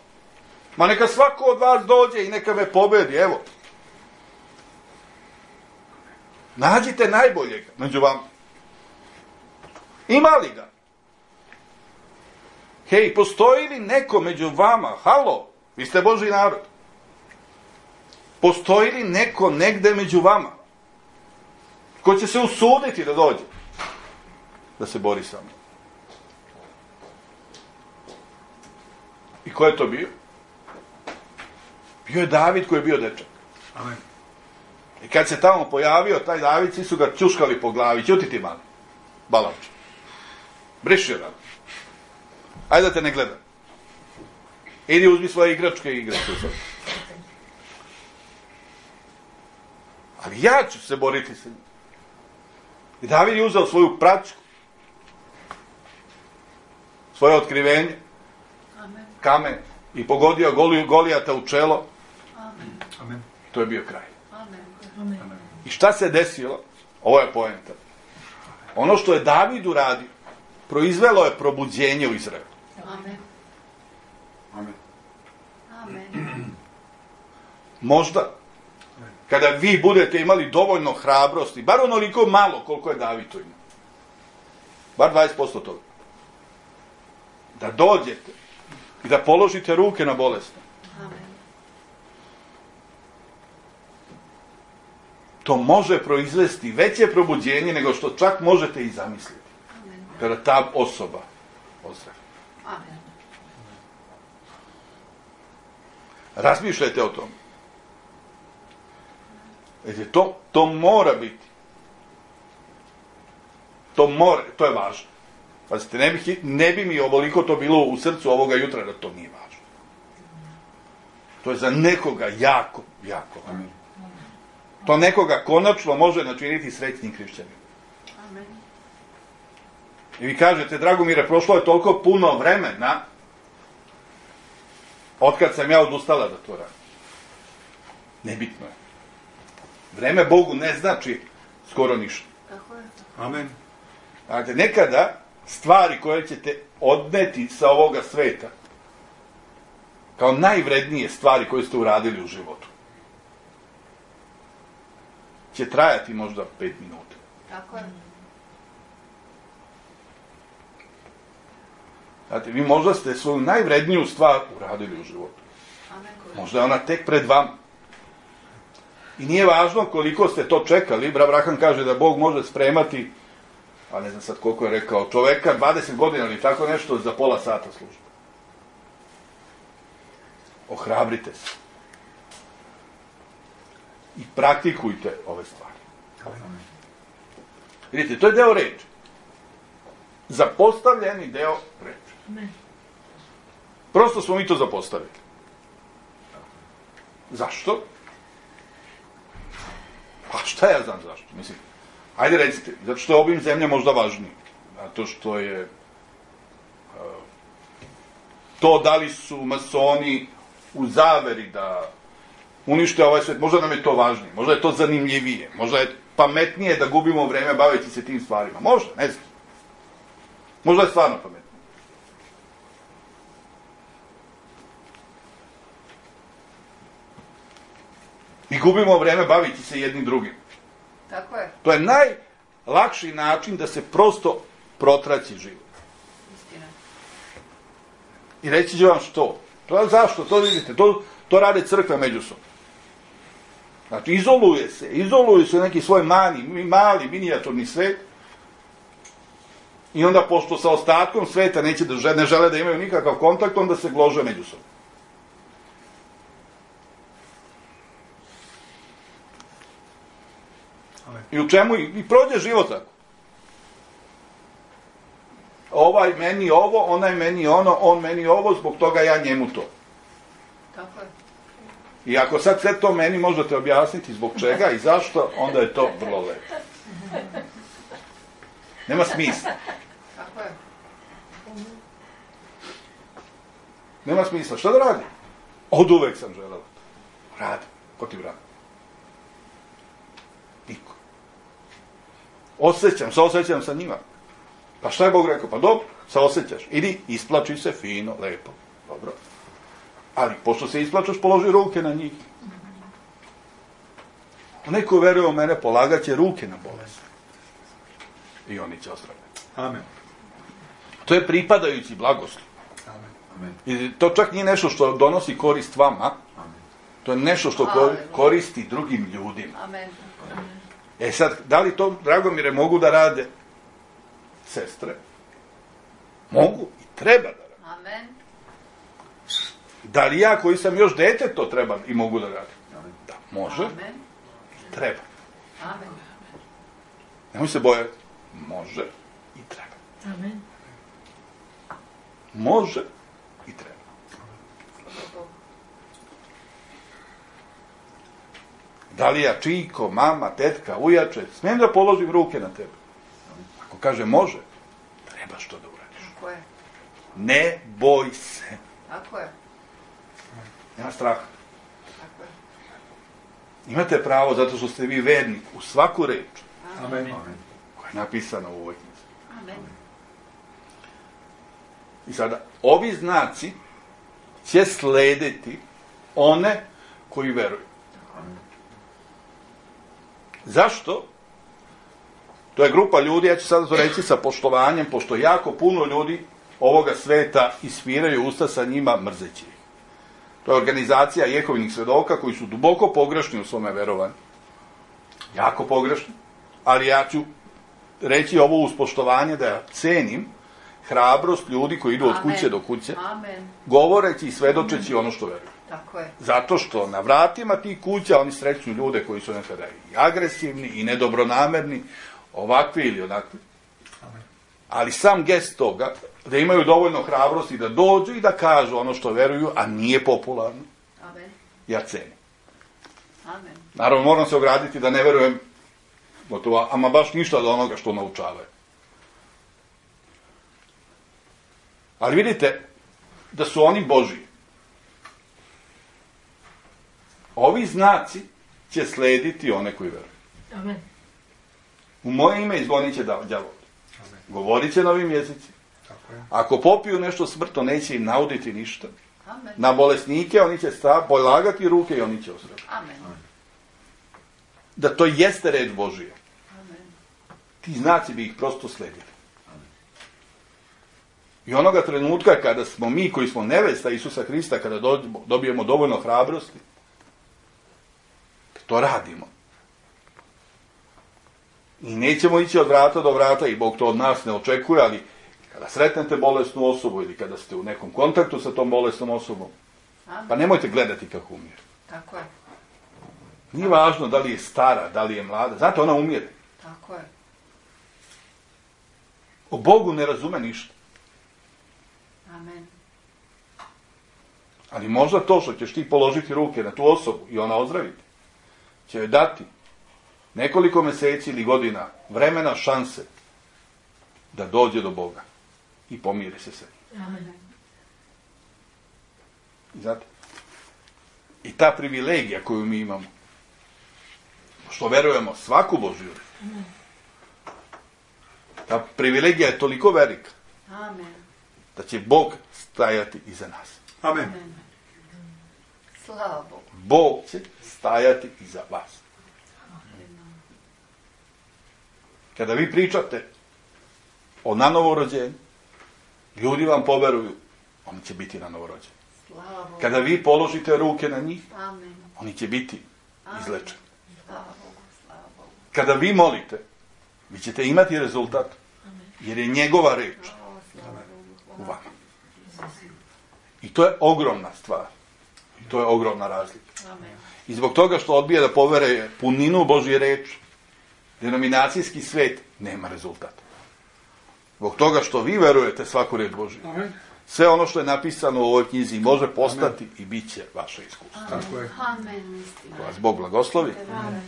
Ma neka svako od vas dođe i neka me pobedi. Evo. Nađite najboljeg među vama. Ima li ga? Hej, postoji li neko među vama? Halo, vi ste Božji narod. Postoji li neko negde među vama? Ko će se usuditi da dođe? Da se bori sa mnom. I ko je to bio? Bio je David koji je bio dečak. Amen. I kad se tamo pojavio taj David, svi su ga čuškali po glavi. Ćuti ti mali, balavče. Briši ga. Ajde da te ne gledam. Idi uzmi svoje igračke i igračke. Ali ja ću se boriti sa njim. I David je uzeo svoju praćku, svoje otkrivenje, kamen, i pogodio Golijata u čelo. Amen. To je bio kraj. Amen. I šta se desilo? Ovo je poenta. Ono što je David uradio, proizvelo je probuđenje u Izraelu. Amen. Amen. Amen. Možda, kada vi budete imali dovoljno hrabrosti, bar onoliko malo koliko je David to imao, bar 20% toga, da dođete i da položite ruke na bolesne. Amen. To može proizvesti veće probuđenje nego što čak možete i zamisliti. Amen. Kada ta osoba ozdravi. Amen. Razmišljajte o tom. To mora biti. To je važno. Pazite, ne bi mi ovoliko to bilo u srcu ovoga jutra da to nije važno. To je za nekoga jako, jako važno. To nekoga konačno može načiniti srećnim hrišćanima. Amen. I vi kažete, Dragomire, prošlo je toliko puno vremena otkad sam ja odustala da to radim. Nebitno je. Vreme Bogu ne znači skoro ništa. Tako je. Amen. Znate, nekada stvari koje ćete odneti sa ovoga sveta kao najvrednije stvari koje ste uradili u životu će trajati možda 5 minuta. Tako je. Znate, vi možda ste svoju najvredniju stvar uradili u životu. Amen. Možda je ona tek pred vama. I nije važno koliko ste to čekali. Brat Branham kaže da Bog može spremati, a ne znam sad koliko je rekao, čoveka 20 godina ili tako nešto za pola sata službe. Ohrabrite se. I praktikujte ove stvari. Vidite, to je deo reči. Zapostavljeni deo reči. Amen. Prosto smo mi to zapostavili. Zašto? Pa šta ja znam zašto? Mislim, ajde recite, zato što je obim zemlje možda važniji. Zato što je to da li su masoni u zaveri da unište ovaj svet, možda nam je to važnije, možda je to zanimljivije, možda je pametnije da gubimo vreme baveći se tim stvarima. Možda, ne znam. Možda je stvarno pametnije. I gubimo vreme bavići se jednim drugim. Tako je. To je najlakši način da se prosto protraći život. Istina. I reći ću vam što. Zašto? To vidite, to rade crkve međusobno. Znači, izoluju se neki svoj mali, minijaturni svet. I onda, pošto sa ostatkom sveta ne žele da imaju nikakav kontakt, onda se glože međusobno. I u čemu? I prođe život tako. Ovaj meni ovo, onaj meni ono, on meni ovo, zbog toga ja njemu to. Tako je. I ako sad sve to meni možete objasniti zbog čega i zašto, onda je to vrlo lepo. Nema smisla. Tako je. Nema smisla. Šta da radim? Od uvek sam želeo. Radim. Ko ti brani? Niko. Osjećam sa njima. Pa šta je Bog rekao? Pa dobro, se osjećaš. Idi, isplači se fino, lepo. Dobro. Ali, pošto se isplačaš, položi ruke na njih. Onaj ko veruje u mene, polagat će ruke na bolest. I oni će ozdraviti. Amen. To je pripadajući blagoslov. Amen. I to čak nije nešto što donosi korist vama. To je nešto što koristi drugim ljudima. Amen. Sad, da li to, Dragomire, mogu da rade sestre? Mogu i treba da rade. Amen. Da li ja, koji sam još dete, to treba i mogu da radim? Da, može. Amen. Treba. Amen. Nemoj se bojati. Može i treba. Amen. Može i treba. Da li ja, čiko, mama, tetka, ujače, smijem da položim ruke na tebe? Ako kaže može, trebaš to da uradiš. Tako je. Ne boj se. Tako je. Nema straha. Tako je. Imate pravo zato što ste vi vernik u svaku reč Amen. koja je napisana u ovoj knjizi. Amen. I sada, ovi znaci će slediti one koji veruju. Zašto? To je grupa ljudi, ja ću sada to reći sa poštovanjem, pošto jako puno ljudi ovoga sveta ispiraju usta sa njima mrzeći ih. To je organizacija Jehovinih svedoka koji su duboko pogrešni u svome verovanju. Jako pogrešni. Ali ja ću reći ovo uz poštovanje da ja cenim hrabrost ljudi koji idu od kuće do kuće, Amen. govoreći i svedočeći ono što veruju. Tako je. Zato što na vratima tih kuća oni sreću ljude koji su nekada i agresivni i nedobronamerni, ovakvi ili onakvi. Ali sam gest toga, da imaju dovoljno hrabrosti da dođu i da kažu ono što veruju, a nije popularno, Amen. ja cenim. Amen. Naravno, moram se ograditi da ne verujem gotovo, ama baš ništa od onoga što naučavaju. Ali vidite da su oni Božji. Ovi znaci će slediti one koji veruju. Amen. U moje ime izgonit će đavol. Govorit će novim jezicima. Tako je. Ako popiju nešto smrtno, neće im nauditi ništa. Amen. Na bolesnike oni će polagati ruke i oni će ozdraviti. Amen. Da to jeste reč Božija. Amen. Ti znaci bi ih prosto sledili. I onoga trenutka kada smo mi koji smo nevesta Isusa Hrista, kada dobijemo dovoljno hrabrosti, to radimo. I nećemo ići od vrata do vrata i Bog to od nas ne očekuje, ali kada sretnete bolesnu osobu ili kada ste u nekom kontaktu sa tom bolesnom osobom, Amen. pa nemojte gledati kako umire. Tako je. Nije važno da li je stara, da li je mlada. Znate, ona umire. Tako je. O Bogu ne razume ništa. Amen. Ali možda to što ćeš ti položiti ruke na tu osobu i ona ozdraviti, će joj dati nekoliko meseci ili godina vremena, šanse da dođe do Boga i pomiri se sa njim. Amen. I znate, i ta privilegija koju mi imamo, što verujemo svaku Božju reč, ta privilegija je toliko velika Amen. da će Bog stajati iza nas. Amen. Amen. Slava Bogu. Bog će stajati iza vas. Kada vi pričate o nanovo rođenju, ljudi vam poveruju oni će biti na novorođeni. Slava Bogu. Kada vi položite ruke na njih, Amen. oni će biti Amen. izlečeni. Slava Bogu, slava Bogu. Kada vi molite, vi ćete imati rezultat, jer je njegova reč O, slava Bogu. u vama. I to je ogromna stvar. I to je ogromna razlika. Amen. I zbog toga što odbija da povere puninu Božje reči, denominacijski svet nema rezultata. Zbog toga što vi verujete svaku reč Božju, Amen. sve ono što je napisano u ovoj knjizi može postati i bit će vaše iskustvo. Tako je. Amen, istina. Vas Bog blagoslovi. Amen.